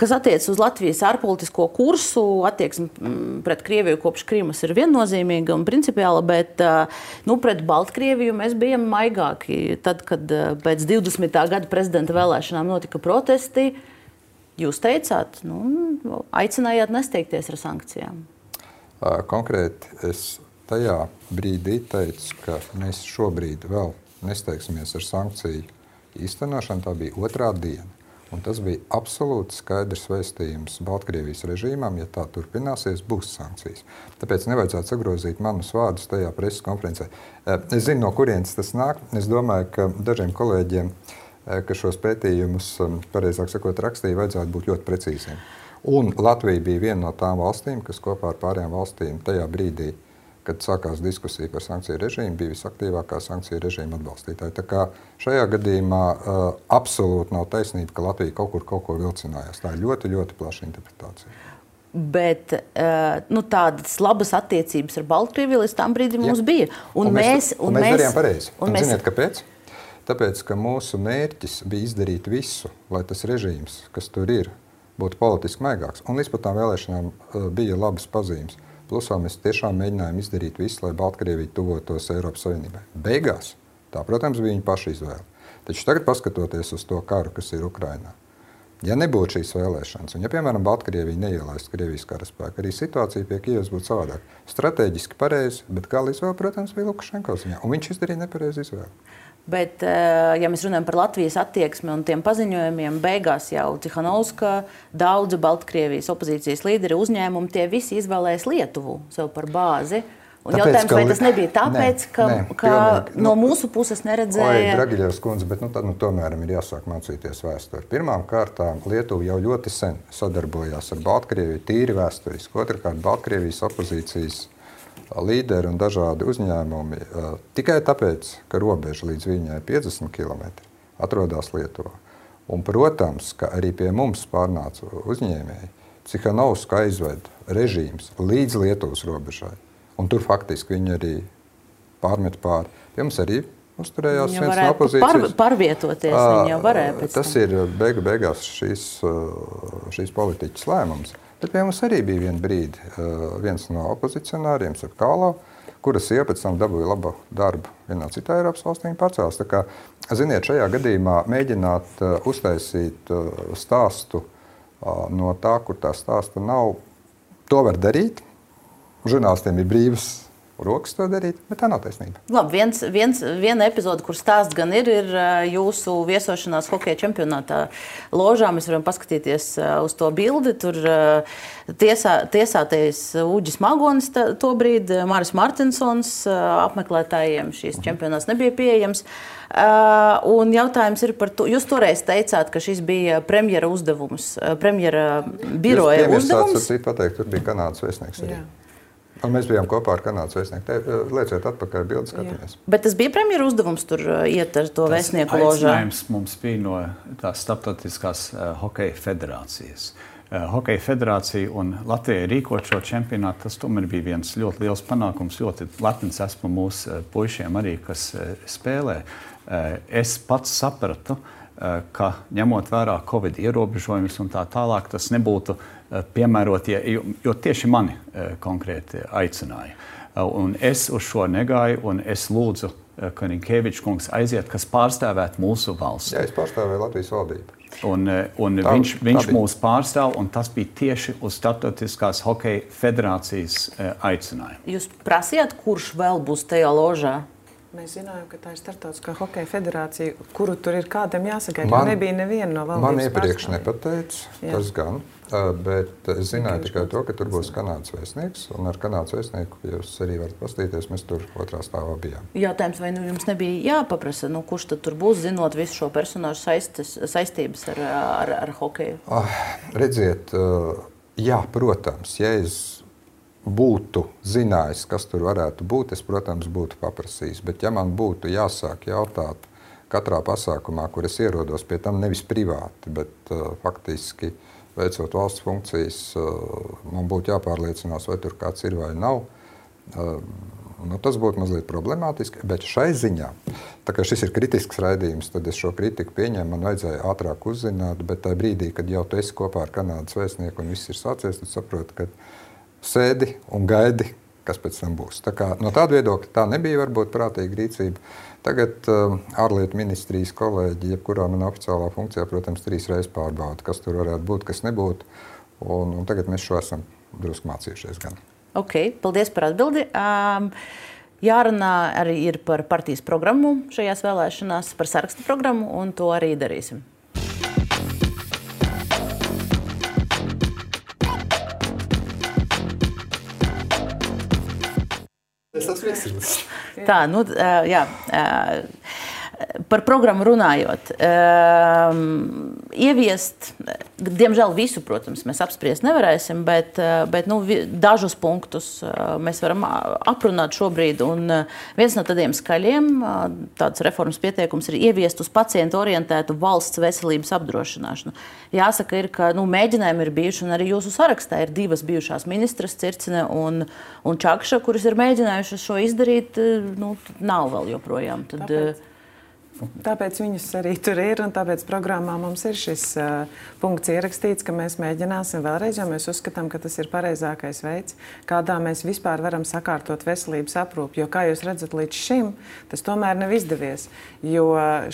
kas attiec uz Latvijas ārpolitisko kursu. Attieksme pret Krieviju kopš Krīmas ir viennozīmīga un principiāla, bet nu, pret Baltkrieviju mēs bijām maigāki. Tad, kad pēc divdesmitā gada prezidenta vēlēšanām notika protesti, jūs teicāt, nu, aicinājāt nesteigties ar sankcijām. Konkrēti es tajā brīdī teicu, ka mēs šobrīd vēl nesteigsimies ar sankciju īstenošanu. Tā bija otrā diena. Un tas bija absolūti skaidrs vēstījums Baltkrievijas režīmam, ja tā turpināsies, būs sankcijas. Tāpēc nevajadzētu sagrozīt manus vārdus tajā preses konferencē. Es zinu, no kurienes tas nāk. Es domāju, ka dažiem kolēģiem, ka šos pētījumus, pareizāk sakot, rakstīja, vajadzētu būt ļoti precīziem. Un Latvija bija viena no tām valstīm, kas kopā ar pārējām valstīm tajā brīdī, kad sākās diskusija par sankciju režīmu, bija visaktīvākā sankciju režīma atbalstītāja. Tā kā šajā gadījumā uh, absolūti nav taisnība, ka Latvija kaut kur kaut ko vilcinājās. Tā ir ļoti, ļoti plaša interpretācija. Bet uh, nu, tādas labas attiecības ar Baltkrieviju līdz tam brīdim mums bija. Un, un mēs, mēs, un mēs, mēs darījām pareizi. Un, un mēs... ziniet, kāpēc? Tāpēc, ka mūsu mērķis bija izdarīt visu, lai tas režīms, kas tur ir, būtu politiski maigāks. Un līdz pat tām vēlēšanām uh, bija labas pazīmes. Plusā mēs tiešām mēģinājām izdarīt visu, lai Baltkrievija tuvotos Eiropas Savienībai. Beigās tā, protams, bija viņa paša izvēle. Taču tagad, paskatoties uz to karu, kas ir Ukrainā, ja nebūtu šīs vēlēšanas, un ja, piemēram, Baltkrievija neielaistu Krievijas karaspēku, arī situācija pie Kijevas būtu savādāk. Strateģiski pareizi, bet gala izvēle, protams, bija Lukašenko ziņā, un viņš izdarīja nepareizi izvēli. Bet, ja mēs runājam par Latvijas attieksmi un tiem paziņojumiem, beigās jau Cihanovska, daudzi Baltkrievijas opozīcijas līderi, uzņēmumi, tie visi izvēlēs Lietuvu sev par bāzi. Un tāpēc, jautājums, vai tas nebija tāpēc, ne, ka, ne, ka pilnīgi, no mūsu puses neredzēja... Oi, Dragiļevs kundze, bet nu, tad nu, tomēr ir jāsāk mācīties vēsturi. Pirmām kārtām Lietuva jau ļoti sen sadarbojās ar Baltkrieviju, tīri vēsturiski. Otrkārt, Baltkrievijas opozīcijas līderi un dažādi uzņēmumi tikai tāpēc, ka robeža līdz viņai piecdesmit kilometri atrodas Lietuvā. Un, protams, ka arī pie mums pārnāca uzņēmēji. Cihanovsku aizved režīms līdz Lietuvas robežai. Un tur faktiski viņi arī pārmet pāri. Pie mums arī uzturējās viens no opozīcijas. Par, pārvietoties, viņi jau varēja pēc tam. Tas ir beigu beigās šīs, šīs politiķas lēmums. Bet pie mums arī bija viena brīdi viens no opozicionāriem, Sapkālo, kuras sieva pēc tam dabūja labu darbu vienā citā Eiropas valstī pārcēlās. Tā kā, ziniet, šajā gadījumā mēģināt uztaisīt stāstu no tā, kur tā stāsta nav, to var darīt. Žurnālistiem ir brīvas rokas to darīt, bet tā nav taisnība. Labi, viens, viens, viena epizode, kur stāsts gan ir, ir jūsu viesošanās hokeja čempionātā ložā. Mēs varam paskatīties uz to bildi. Tur tiesā, tiesātais Uģis Magonis to brīdi, Māris Martinsons, apmeklētājiem šīs čempionāts nebija pieejams. Un jautājums ir par to, jūs toreiz teicāt, ka šis bija premjera uzdevums, premjera biroja uzdevums. Jūs premjeras pateikt, tur bija Kanādas vēstnieks arī. Jā. Un mēs bijām kopā ar Kanādas vēstnieku. Lieciet atpakaļ bildi, skatāmies. Bet tas bija premjera uzdevums tur iet ar to vēstnieku ložā? Aicinājums mums bija no tās starptautiskās uh, hokeja federācijas. Uh, hokeja federācija un Latvijai rīkot šo čempionātu, tas tomēr bija viens ļoti liels panākums. Ļoti lepns esmu mūsu uh, puišiem arī, kas uh, spēlē. Uh, es pats sapratu, uh, ka ņemot vērā Covid ierobežojumus un tā tālāk, tas nebūtu piemērotie, jo, jo tieši mani uh, konkrēti aicināja. Uh, un es uz šo negāju, un es lūdzu uh, Karinkevičs kungs aiziet, kas pārstāvētu mūsu valsti. Jā, es pārstāvēju Latvijas valdību. Un, un tā, viņš, viņš mūs pārstāv, un tas bija tieši uz Startautiskās hokeja federācijas uh, aicinājumu. Jūs prasījāt, kurš vēl būs tajā ložā? Mēs zinājām, ka tā ir Startautiskā hokeja federācija, kuru tur ir kādam jāsagaida, jo nebija neviena no valdības. Man iepriekš nepateica, tas gan, bet es zināju tikai to, ka tur būs Kanādas vēstnieks, un ar Kanādas vēstnieku, ja jūs arī varat pastīties, mēs tur otrā stāvā bijām. Jautājums, vai nu jums nebija jāpaprasa, nu kurš tad tur būs, zinot visu šo personāžu saistes, saistības ar, ar, ar hokeju? Ah, redziet, jā, protams, ja es būtu zinājis, kas tur varētu būt, es, protams, būtu paprasījis. Bet ja man būtu jāsāk jautāt katrā pasākumā, kur es ierodos, pie tam nevis privāti, bet uh, faktiski veicot valsts funkcijas, uh, man būtu jāpārliecinās, vai tur kāds ir vai nav. Uh, Nu, tas būtu mazliet problemātiski, bet šai ziņā, tā kā šis ir kritisks raidījums, tad es šo kritiku pieņēmu, man vajadzēja ātrāk uzzināt, bet tajā brīdī, kad jau tu esi kopā ar Kanādas vēstnieku un viss ir sācies, tad saproti, ka sēdi un gaidi, kas pēc tam būs. Tā kā no tāda viedokļa tā nebija varbūt prātīga rīcība. Tagad uh, ārlietu ministrijas kolēģi, jebkurā manā oficiālā funkcijā, protams, trīs reizes pārbauda, kas tur varētu būt, kas nebūtu. Un, un tagad mēs šo esam drusku mācījušies gan. Ok, paldies par atbildi. Um, jārunā arī ir par partijas programmu šajās vēlēšanās, par sarakstu programmu, un to arī darīsim. Tā, nu, jā, par programmu runājot. Ieviest, diemžēl visu, protams, mēs apspriest nevarēsim, bet, bet nu, dažus punktus mēs varam aprunāt šobrīd. Un viens no tādiem skaļiem, tāds reformas pieteikums ir ieviest uz pacientu orientētu valsts veselības apdrošināšanu. Jāsaka, ir, ka nu, mēģinājumi ir bijuši, un arī jūsu sarakstā ir divas bijušās ministras, Circine un, un Čakša, kuras ir mēģinājušas šo izdarīt, nu, nav vēl joprojām. Tad, Tāpēc. Tāpēc viņas arī tur ir, un tāpēc programmā mums ir šis uh, punkts ierakstīts, ka mēs mēģināsim vēlreiz, jo mēs uzskatām, ka tas ir pareizākais veids, kādā mēs vispār varam sakārtot veselības aprūpi. Jo, kā jūs redzat, līdz šim tas tomēr nav izdevies, jo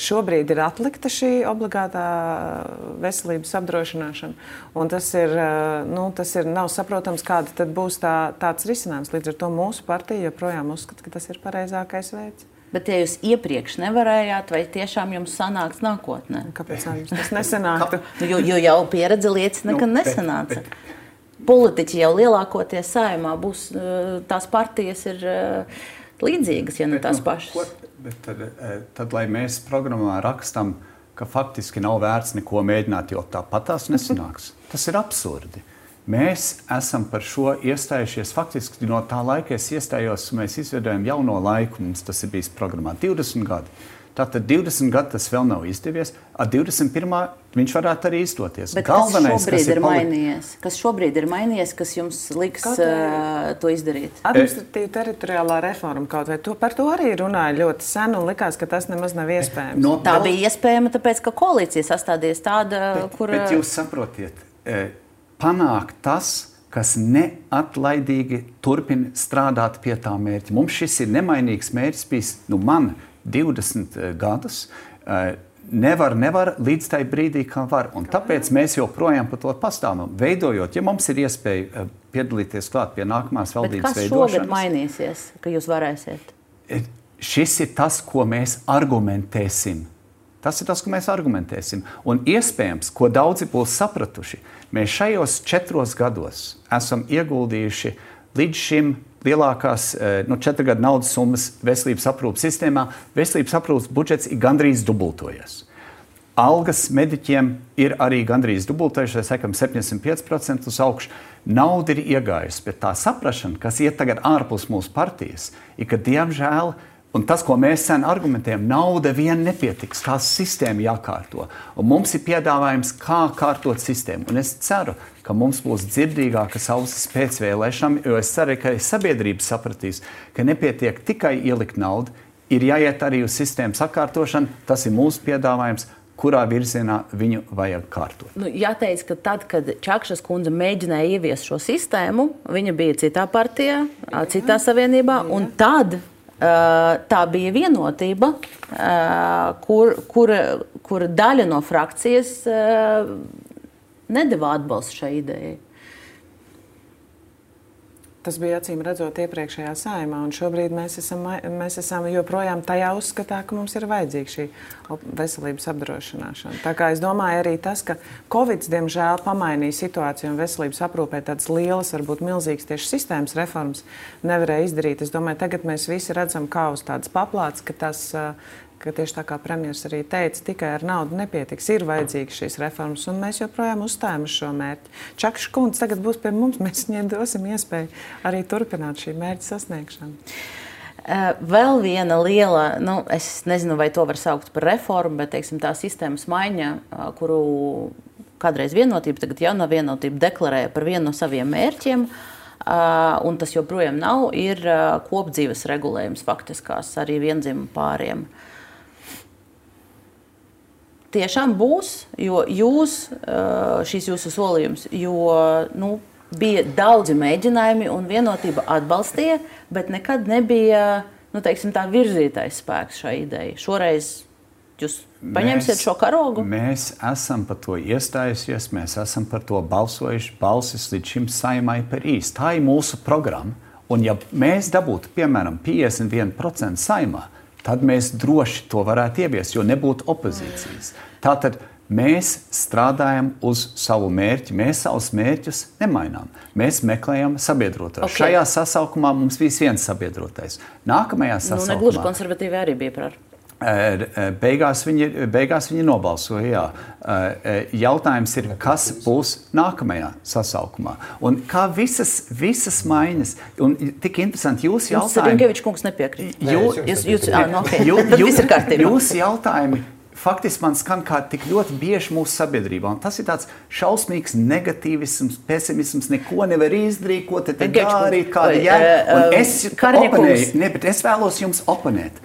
šobrīd ir atlikta šī obligātā veselības apdrošināšana, un tas ir, uh, nu, tas ir nav saprotams, kāda tad būs tā, tāds risinājums. Līdz ar to mūsu partija joprojām uzskata, ka tas ir pareizākais veids. Bet, ja jūs iepriekš nevarējāt, vai tiešām jums sanāks nākotnē? Kāpēc jums tas nesanāktu? jo, jo jau pieredze liecina, ka nesanāca. Politiķi jau lielākoties Saeimā būs, tās partijas ir līdzīgas, ja ne tās pašas. Bet, bet tad, tad, lai mēs programmā rakstam, ka faktiski nav vērts neko mēģināt, jo tāpat tās nesanāks. Tas ir absurdi. Mēs esam par šo iestājušies. Faktiski no tā laika es iestājos, mēs izveidojam jauno laiku, mums tas ir bijis programmā divdesmit gadi. Tātad divdesmit gadi tas vēl nav izdevies, ar divdesmit pirmā viņš varētu arī izdoties. Bet Galvenais, kas šobrīd kas ir, ir mainījies? Kas šobrīd ir mainījies, kas jums liks kaut uh, to izdarīt? Administratīva teritoriālā reforma kaut vai to, par to arī runāja ļoti sen un likās, ka tas nemaz nav iespējams. No, tā no... bija iespējama, tāpēc, ka koalīcija sastādījās tāda, bet, kur... Bet jūs saprotiet, panākt tas, kas neatlaidīgi turpina strādāt pie tā mērķa. Mums šis ir nemainīgs mērķis bijis, nu man divdesmit gadus, nevar, nevar līdz tai brīdī, kā var. Un tāpēc mēs joprojām par to pastāvam. Veidojot, ja mums ir iespēja piedalīties klāt pie nākamās valdības veidošanas. Bet kas šogad mainīsies, ka jūs varēsiet? Šis ir tas, ko mēs argumentēsim. Tas ir tas, ko mēs argumentēsim. Un iespējams, ko daudzi būs sapratuši, mēs šajos četros gados esam ieguldījuši līdz šim lielākās nu, četru gadu naudas summas veselības aprūpas sistēmā. Veselības aprūpas budžets ir gandrīz dubultojies. Algas mediķiem ir arī gandrīz dubultojušies, sekam septiņdesmit pieci procenti uz augšu. Nauda ir iegājusi, bet tā saprašana, kas iet tagad ārpus mūsu partijas, ir, ka diemžēl, un tas, ko mēs sen argumentējam, nauda vien nepietiks, kā sistēma jākārto. Un mums ir piedāvājums, kā kārtot sistēmu. Un es ceru, ka mums būs dzirdīgākas ausis pēc vēlēšanām, jo es ceru, ka sabiedrība sapratīs, ka nepietiek tikai ielikt naudu, ir jāiet arī uz sistēmu sakārtošanu. Tas ir mūsu piedāvājums, kurā virzienā viņu vajag kārtot. Nu, jāteic, ka tad, kad Čakšas kundze mēģināja ieviest šo sistēmu, viņa bija citā partijā, citā savienībā, un tad tā bija vienotība, kur, kur, kur daļa no frakcijas nedeva atbalstu šai idejai. Tas bija acīm redzot iepriekšējā Saeimā, un šobrīd mēs esam, mēs esam joprojām tajā uzskatā, ka mums ir vajadzīga šī veselības apdrošināšana. Tā kā es domāju arī tas, ka Covid, diemžēl, pamainīja situāciju un veselības aprūpē tādas lielas, varbūt milzīgas tieši sistēmas reformas nevarēja izdarīt. Es domāju, tagad mēs visi redzam, kā uz tādas paplātes, ka tas, ka tieši tā kā premjers arī teica, tikai ar naudu nepietiks, ir vajadzīgas šīs reformas, un mēs joprojām uzstājam uz šo mērķi. Čakša kundze tagad būs pie mums, mēs viņai dosim iespēju arī turpināt šī mērķa sasniegšanu. Vēl viena liela, nu, es nezinu, vai to var saukt par reformu, bet, teiksim, tā sistēmas maiņa, kuru kādreiz vienotība, tagad jaunā vienotība deklarēja par vienu no saviem mērķiem, un tas joprojām nav, ir kopdzīves regulējums faktiskās arī viendzimumu pāriem. Tiešām būs, jo jūs, šīs jūsu solījums, jo nu, bija daudzi mēģinājumi un vienotība atbalstīja, bet nekad nebija nu, teiksim, tā virzītais spēks šai idejai. Šoreiz jūs paņemsiet šo karogu? Mēs esam par to iestājusies, mēs esam par to balsojuši, balsis līdz šim Saeimai par īsti. Tā ir mūsu programma, un ja mēs dabūtu, piemēram, piecdesmit viens procents Saeimā, tad mēs droši to varētu ieviest, jo nebūtu opozīcijas. Tātad mēs strādājam uz savu mērķi, mēs savus mērķus nemainām. Mēs meklējam sabiedrotos. Okay. Šajā sasaukumā mums viss viens sabiedrotais. Nākamajā sasaukumā... Nu, negluži konservatīvi arī bija par... Beigās viņi, beigās viņi nobalsoja, jā. Jautājums ir, kas būs nākamajā sasaukumā. Un kā visas, visas maiņas, un tik interesanti, jūs jautājumi... Rinkevičs kungs nepiekrīt. Jū, jūs, jūs, ah, no, okay. jū, Tad viss ir kārtībā. Jūs jautājumi faktiski man skan kā tik ļoti bieži mūsu sabiedrībā. Un tas ir tāds šausmīgs negatīvisms, pesimisms, neko nevar izdarīt, ko te te darīt, kāda jēga. Un es oponēju, ne, bet es vēlos jums oponēt.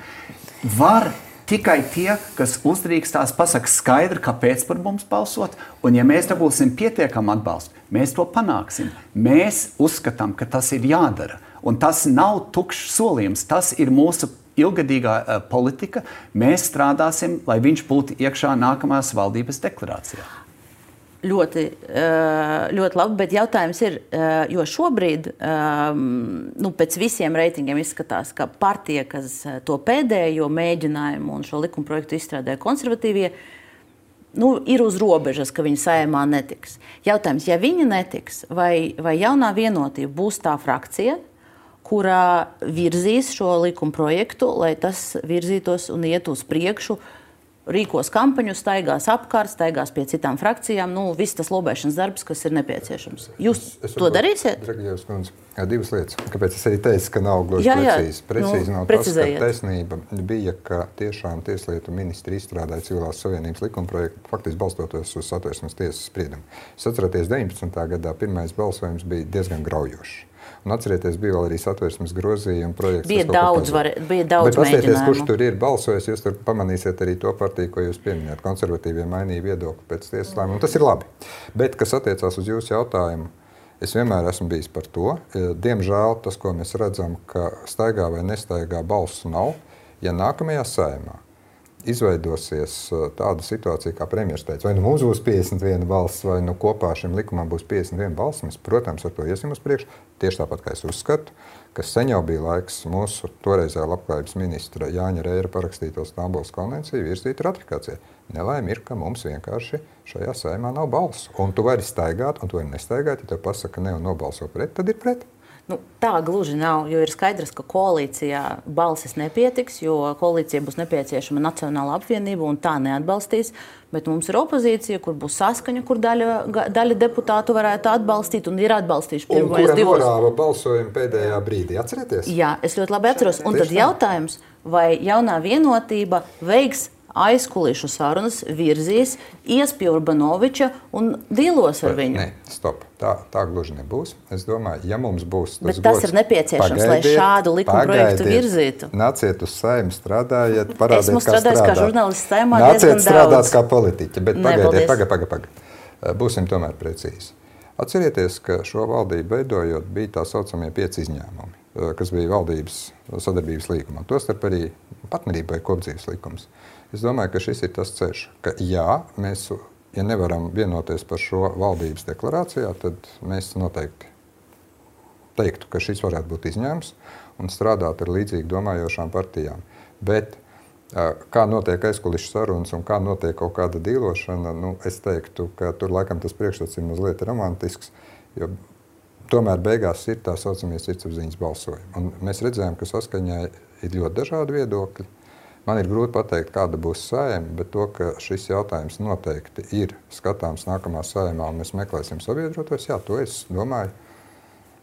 Var tikai tie, kas uzdrīkstās, pasaka skaidri, kāpēc par mums balsot, un ja mēs dabūsim pietiekam atbalstu, mēs to panāksim. Mēs uzskatām, ka tas ir jādara, un tas nav tukšs solījums, tas ir mūsu ilgadīgā uh, politika. Mēs strādāsim, lai viņš būtu iekšā nākamās valdības deklarācijā. Ļoti, ļoti labi, bet jautājums ir, jo šobrīd nu, pēc visiem reitingiem izskatās, ka partija, kas to pēdējo mēģinājumu un šo likumprojektu izstrādāja konservatīvie, nu, ir uz robežas, ka viņi Saeimā netiks. Jautājums, ja viņi netiks, vai, vai jaunā vienotība būs tā frakcija, kurā virzīs šo likumprojektu, lai tas virzītos un iet uz priekšu, rīkos kampaņu, staigās apkārt, staigās pie citām frakcijām, nu, viss tas lobēšanas darbs, kas ir nepieciešams. Jūs es, es to darīsiet? Dragījos, kundze, divas lietas. Kāpēc es arī teicu, ka nav gluži precīzi? Precīzi nu, nav tas, ka taisnība bija, ka tiešām Tieslietu ministri izstrādāja Civilās Savienības likumprojektu, faktiski balstoties uz Satversmes tiesas spriedumu. Es atceroties deviņpadsmitā gadā pirmais balsojums bija diezgan graujošs. Un atcerieties, bija vēl arī Satversmes grozījuma projekts. Bija daudz, var, bija daudz mēģinājumu. Bet paskatieties, kurš tur ir balsojis, jūs tur pamanīsiet arī to partiju, ko jūs pieminējat. Konservatīvie mainīja viedokli pēc tiesas lēmuma, un tas ir labi. Bet, kas attiecās uz jūsu jautājumu, es vienmēr esmu bijis par to. Diemžēl tas, ko mēs redzam, ka staigā vai nestaigā balsu nav, ja nākamajā Saeimā izveidosies tāda situācija, kā premjeras teica, vai nu mums būs piecdesmit viena balss, vai nu kopā šim likumam būs piecdesmit viena balss, mēs, protams, ar to iesim uz priekšu. Tieši tāpat, kā es uzskatu, ka sen jau bija laiks mūsu toreizējā labklājības ministra Jāņa Reira parakstīto Stambulas konvenciju virzīt ratifikācijai. Nelaime ir, ka mums vienkārši šajā Saeimā nav balsu. Un tu vari staigāt, un tu vari nestaigāt, ja tev pasaka ne un nobalso pret, tad ir pret. Nu, tā gluži nav, jo ir skaidrs, ka koalīcijā balsis nepietiks, jo koalīcija būs nepieciešama nacionāla apvienība un tā neatbalstīs, bet mums ir opozīcija, kur būs saskaņa, kur daļa, daļa deputātu varētu atbalstīt un ir atbalstījuši pirmais divos. Un kura norāva balsojumu pēdējā brīdī, atcerieties? Jā, es ļoti labi atceros. Un tad jautājums, vai jaunā vienotība veiks aizkulišu sarunas, virzīs, ies pie Urbanoviča un dīlos ar viņu. Nē, stop. Tā, tā gluži nebūs. Es domāju, ja mums būs tas Bet tas gods, ir nepieciešams, lai šādu likumprojektu virzītu. Nāciet uz Saeimu, strādājiet, parādiet, Esmu kā strādāt. kā žurnālists Saeimā diezgan daudz. Nāciet strādāt kā politiķi, bet pagaidiet, paga, paga, paga. Būsim tomēr precīzi. Atcerieties, ka šo valdību veidojot bija tā saucamie pieci izņēmumi, kas bija valdības sadarbības līgumā. Tostarp arī partnerība vai kopdzīves likums. Es domāju, ka šis ir tas ceļš, ka jā, mēs, ja nevaram vienoties par šo valdības deklarācijā, tad mēs noteikti teiktu, ka šis varētu būt izņēmums un strādāt ar līdzīgi domājošām partijām. Bet kā notiek aizkulišu sarunas un kā notiek kaut kāda dīlošana, nu, es teiktu, ka tur laikam tas priekšstats ir mazliet romantisks, jo tomēr beigās ir tā saucamie sirdsapziņas balsojumi. Un mēs redzējām, ka saskaņā ir ļoti dažādi viedokļi. Man ir grūti pateikt, kāda būs Saeima, bet to, ka šis jautājums noteikti ir skatāms nākamā Saeimā un mēs meklēsim sabiedrotos, jā, to es domāju.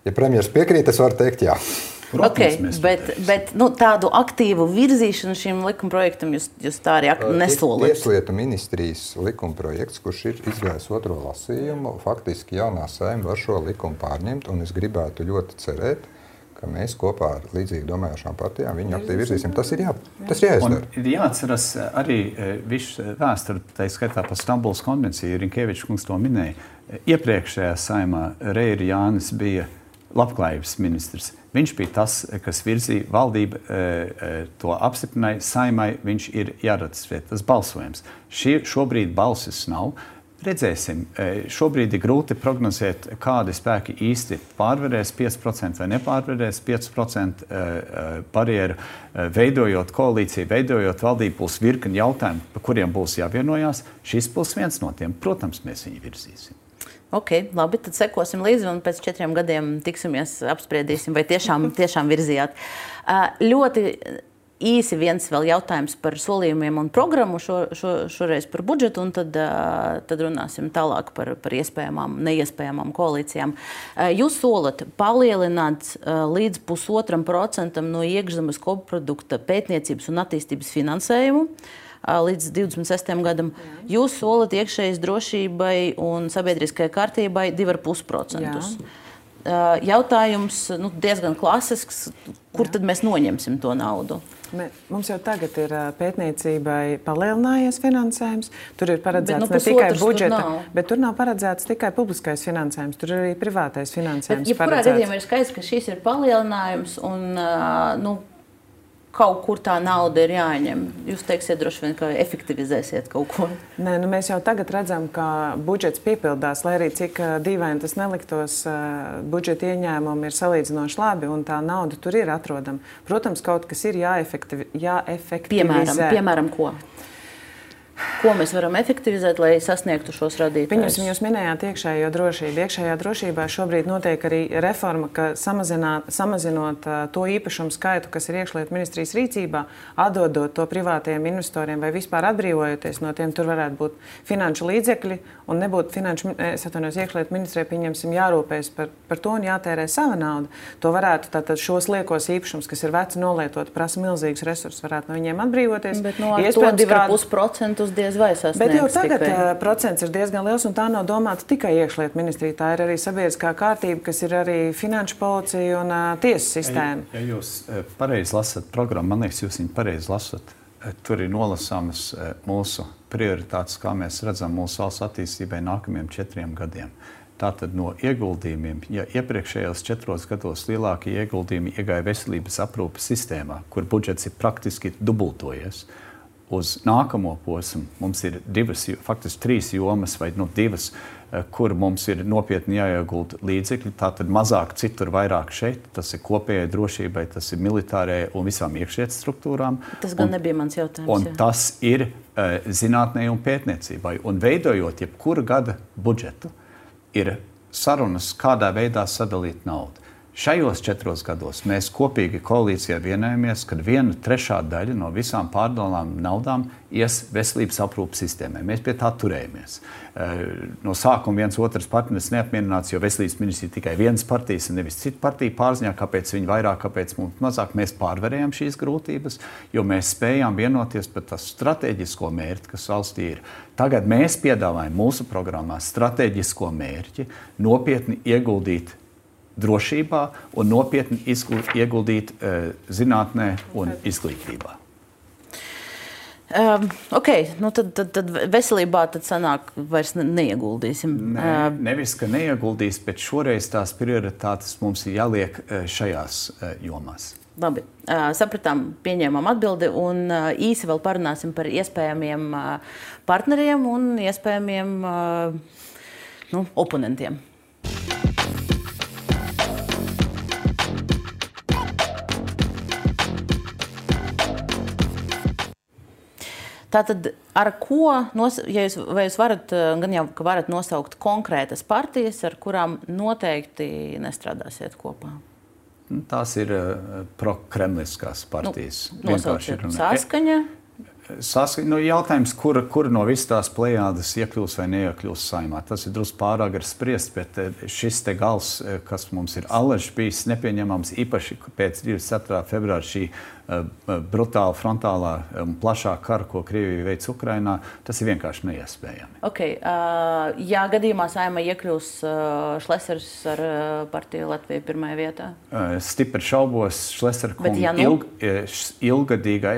Ja premjeras piekrīt, es varu teikt jā. Protams, okay, mēs to bet, darīsim. bet nu, tādu aktīvu virzīšanu šim likumprojektam jūs, jūs tā arī nesolat. Tieslietu ministrijas likumprojekts, kurš ir izgājis otro lasījumu, faktiski jaunā Saeima var šo likumu pārņemt, un es gribētu ļoti cerēt, ka mēs kopā ar līdzīgi domājošām partijām viņu aktīvi virzīsim. Tas ir, jā, tas ir jāizdara. Un ir jāatceras arī viss vēsturi, tā skaitā par Stambulas konvenciju, Rinkēvičs kungs to minēja. Iepriekšējā Saeimā Reiri Jānis bija labklājības ministrs. Viņš bija tas, kas virzīja valdību, to apstiprināja Saeimai, viņš ir jāratificē, tas balsojums. Šī, šobrīd balsis nav. Redzēsim, šobrīd ir grūti prognozēt, kādi spēki īsti pārvarēs pieci procenti vai nepārvarēs pieci procenti barjeru, veidojot koalīciju, veidojot valdību, būs virkni jautājumu, par kuriem būs jāvienojās. Šis būs viens no tiem, protams, mēs viņu virzīsim. Ok, labi, tad sekosim līdzi un pēc četriem gadiem tiksimies, apspriedīsim, vai tiešām, tiešām virzījāt. Ļoti īsi viens vēl jautājums par solījumiem un programmu, šo, šo, šoreiz par budžetu, un tad, tad runāsim tālāk par, par iespējamām, neiespējamām koalīcijām. Jūs solat palielināt līdz pusotram procentam no iekšzemes koprodukta pētniecības un attīstības finansējumu līdz divdesmit sestajam gadam. Jūs solat iekšējas drošībai un sabiedriskajai kārtībai divi ar pus procentus. Jautājums nu, diezgan klasisks, kur Jā. Tad mēs noņemsim to naudu? Mums jau tagad ir pētniecībai palielinājies finansējums. Tur ir paredzēts bet, nu, ne tikai budžeta, tur bet tur nav paredzēts tikai publiskais finansējums. Tur ir arī privātais finansējums. Bet, ja kurā gadījumā ir skaidrs, ka šis ir palielinājums un nu, kaut kur tā nauda ir jāņem. Jūs teiksiet droši vien, ka efektivizēsiet kaut ko. Nē, nu mēs jau tagad redzam, ka budžets piepildās, lai arī cik dīvaini tas neliktos, budžeta ieņēmumi ir salīdzinoši labi un tā nauda tur ir atrodama. Protams, kaut kas ir jāefektivi, jāefektivizē. Piemēram, piemēram, ko? Ko mēs varam efektivizēt, lai sasniegtu šos radītājus? Pieņemsim, jūs minējāt iekšējo drošību. Iekšējā drošībā šobrīd notiek arī reforma, ka samazinot to īpašumu skaitu, kas ir iekšlietu ministrijas rīcībā, atdodot to privātajiem investoriem vai vispār atbrīvojoties no tiem, tur varētu būt finanšu līdzekļi un nebūtu finanšu, es atvainojos, iekšlietu ministrijai, pieņemsim, jārūpējas par, par to un jātērē sava nauda. To varētu tātad šos liekos īpašumus, kas ir veci nolietot, prasa milzīgus resursus, varētu no viņiem atbrīvoties. Bet no ar to divi ar pus procentus diez vai sasniegs. Bet jau tagad tikai. Procents ir diezgan liels, un tā nav domāta tikai iekšlietu ministrija. Tā ir arī sabiedriskā kārtība, kas ir arī finanšu policija un uh, tiesu sistēma. Ja, ja jūs uh, pareizi lasat programmu, man liekas, jūs viņu pareizi lasat, uh, tur ir nolasāmas uh, mūsu prioritātes, kā mēs redzam mūsu valsts attīstībai nākamajiem četriem gadiem. Tātad no ieguldījumiem, ja iepriekšējos četros gados lielākie ieguldījumi iegāja veselības aprūpes sistēmā, kur budžets ir praktiski dubultojies, uz nākamo posmu mums ir divas, faktiski trīs jomas vai nu, divas, kur mums ir nopietni jāiegulda līdzekļi. Tātad mazāk citur, vairāk šeit. Tas ir kopējai drošībai, tas ir militārajai un visām iekšietas struktūrām. Tas gan un, nebija mans jautājums. Un jā. Tas ir uh, zinātnē un pētniecībai. Un veidojot jebkura gada budžetu, ir sarunas, kādā veidā sadalīt naudu. Šajos četros gados mēs kopīgi koalīcijā vienojamies, ka viena trešā daļa no visām pārdalām naudām ies veselības aprūpes sistēmai. Mēs pie tā turējamies. No sākuma viens otrs partneris neapmierināts, jo veselības ministrija tikai vienas partijas un nevis citu partiju pārziņā, kāpēc viņi vairāk, kāpēc mums mazāk. Mēs pārvarējām šīs grūtības, jo mēs spējām vienoties par tā strateģisko mērķi, kas valstī ir. Tagad mēs piedāvājam mūsu programmā strateģisko mērķi nopietni ieguldīt drošībā un nopietni ieguldīt uh, zinātnē un izglītībā. Um, ok, nu tad, tad, tad veselībā tad sanāk vairs neieguldīsim. Ne, nevis, ka neieguldīs, bet šoreiz tās prioritātes mums ir jāliek uh, šajās uh, jomās. Labi, uh, sapratām, pieņēmām atbildi un uh, īsi vēl parunāsim par iespējamiem uh, partneriem un iespējamiem uh, nu, oponentiem. Tātad, ar ko, nos, ja jūs, vai jūs varat, gan jau, ka varat nosaukt konkrētas partijas, ar kurām noteikti nestrādāsiet kopā? Tās ir uh, prokremliskās partijas. Nu, nosauciet Saskaņa. Sask... Nu, jautājums, kura, kura no visas tās plejādes iekļūs vai neiekļūs Saeimā. Tas ir drusku pārāk gar spriest, bet šis te gals, kas mums ir allaž bijis nepieņemams, īpaši pēc divdesmit ceturtā februāra šī uh, brutāla, frontālā un plašā kara, ko Krievija veic Ukrainā, tas ir vienkārši neiespējami. Okay, uh, ja gadījumā Saeimā iekļūs uh, Šlesers ar uh, partiju Latviju pirmajā vietā? Uh, stipri šaubos, Šlesera kunga ja nu... ilg, ilgadīgā,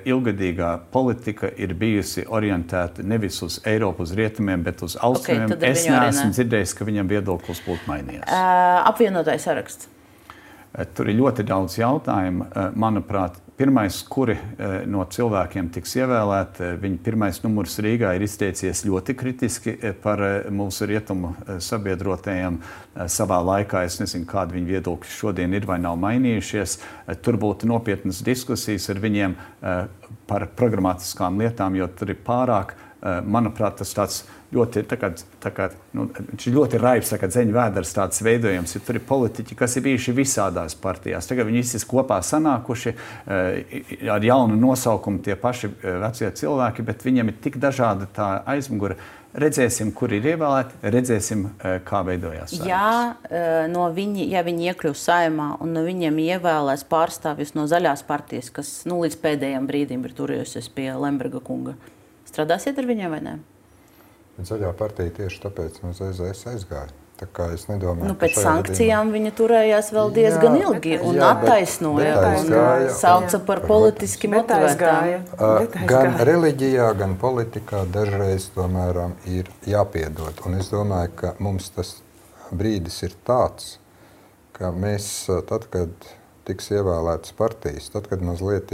ilgadīgā politika ir bijusi orientēta nevis uz Eiropu, uz rietumiem, bet uz austrumiem. Okay, es neesmu dzirdējis, ka viņam viedoklis būtu mainījies. Uh, apvienotais saraksts. Uh, tur ir ļoti daudz jautājumu. Uh, manuprāt, pirmais, kuri uh, no cilvēkiem tiks ievēlēti, uh, viņa pirmais numurs Rīgā ir izteicies ļoti kritiski uh, par uh, mūsu rietumu uh, sabiedrotajiem. Uh, savā laikā es nezinu, kādi viņa viedokļi šodien ir vai nav mainījušies. Uh, tur būtu nopietnas diskusijas ar viņiem uh, par programmatiskām lietām, jo tur ir pārāk, manuprāt, tas tāds ļoti, tā kā, tā kā, nu, ļoti raibs, tā kā dzeņu vēders tāds veidojums, jo tur ir politiķi, kas ir bijuši visādās partijās. Tagad viņi visi kopā sanākuši ar jaunu nosaukumu tie paši vecie cilvēki, bet viņiem ir tik dažāda tā aizmugura. Redzēsim, kur ir ievēlēti, redzēsim, kā veidojās saimnes. Ja, no viņi, ja viņi iekļūs Saeimā un no viņiem ievēlēs pārstāvjus no zaļās partijas, kas nu, līdz pēdējiem brīdim ir turējusies pie Lemberga kunga, strādāsiet ar viņiem vai ne? Zaļā partija tieši tāpēc no Z Z S aizgāja. Tā kā es nedomāju, nu, pēc sankcijām gadījumā... viņa turējās vēl diezgan jā, ilgi un jā, attaisnoja bet, bet un sauca par politiski motivētām. Gan reliģijā, gan politikā dažreiz tomēr ir jāpiedod. Un es domāju, ka mums tas brīdis ir tāds, ka mēs tad, kad tiks ievēlētas partijas, tad, kad mazliet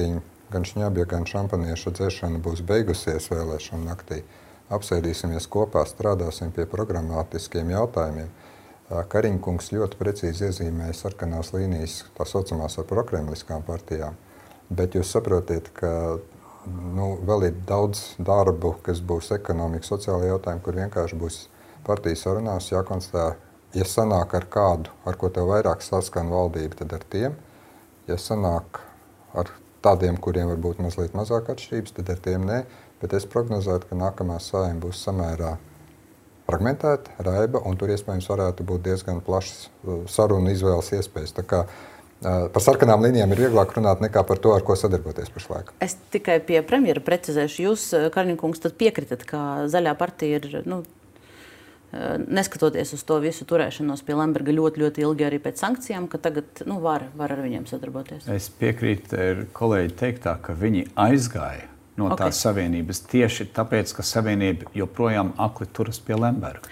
gan šņabja, gan šampanieša dzeršana būs beigusies vēlēšanu naktī, apsēdīsimies kopā, strādāsim pie programmatiskiem jautājumiem. Kariņkungs ļoti precīzi iezīmēja sarkanās līnijas, tā saucamās ar prokremliskām partijām, bet jūs saprotiet, ka nu, vēl ir daudz darbu, kas būs ekonomika, sociāla jautājumi, kur vienkārši būs partijas sarunās jākonstatē, ja sanāk ar kādu, ar ko tev vairāk saskan valdība, tad ar tiem, ja sanāk ar tādiem, kuriem varbūt mazliet mazāk atšķirības, tad ar tiem nē. Bet es prognozētu, ka nākamā Saeima būs samērā fragmentēta, raiba, un tur iespējams varētu būt diezgan plašas sarunu izvēles iespējas. Tā kā par sarkanām līnijām ir vieglāk runāt nekā par to, ar ko sadarboties pašlaik. Es tikai pie premjera precizēšu. Jūs, Kariņkungs, tad piekritat, ka zaļā partija ir, nu, neskatoties uz to visu turēšanos pie Lemberga ļoti, ļoti ilgi arī pēc sankcijām, ka tagad nu, var, var ar viņiem sadarboties? Es piekrītu kolēģi teiktā, ka viņi aizgāja no tās okay. savienības tieši tāpēc, ka savienība joprojām akli turas pie Lemberga.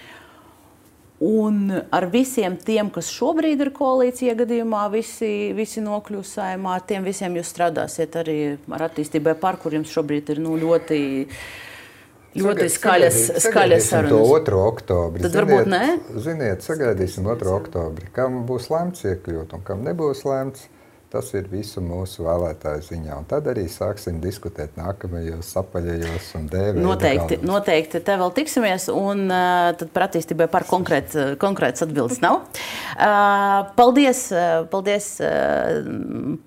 Un ar visiem tiem, kas šobrīd ir koalīcija gadījumā, visi, visi nokļūs Saeimā, tiem visiem jūs strādāsiet arī ar attīstībai par, kur jums šobrīd ir nu, ļoti, ļoti skaļas, skaļas sarunas. To otro oktobri. Tad varbūt nē? Ziniet, sagaidīsim otro oktobri. Kam būs lēmts iekļūt un kam nebūs lēmts. Tas ir visu mūsu vēlētāju ziņā. Un tad arī sāksim diskutēt nākamajos apaļajos un dēvēja. Noteikti, noteikti. Te vēl tiksimies, un uh, tad par attīstībai par konkrēt, konkrētas atbildes nav. Uh, paldies, paldies uh,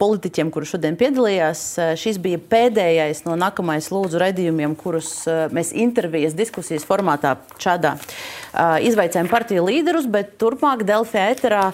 politiķiem, kuri šodien piedalījās. Uh, šis bija pēdējais no nākamais lūdzu raidījumiem, kurus uh, mēs intervijas diskusijas formātā šādā uh, izvaicājam partiju līderus, bet turpmāk Delfi ēterā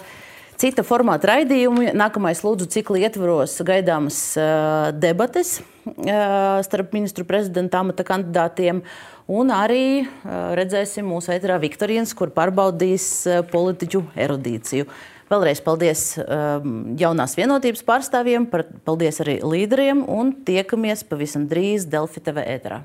cita formāta raidījumi. Nākamais lūdzu cikla ietvaros gaidāmas uh, debates uh, starp ministru prezidenta amata kandidātiem. Un arī uh, redzēsim mūsu ēterā viktorīnas, kur pārbaudīs uh, politiķu erudīciju. Vēlreiz paldies uh, jaunās vienotības pārstāvjiem, par, paldies arī līderiem un tiekamies pavisam drīz Delfi T V ēterā.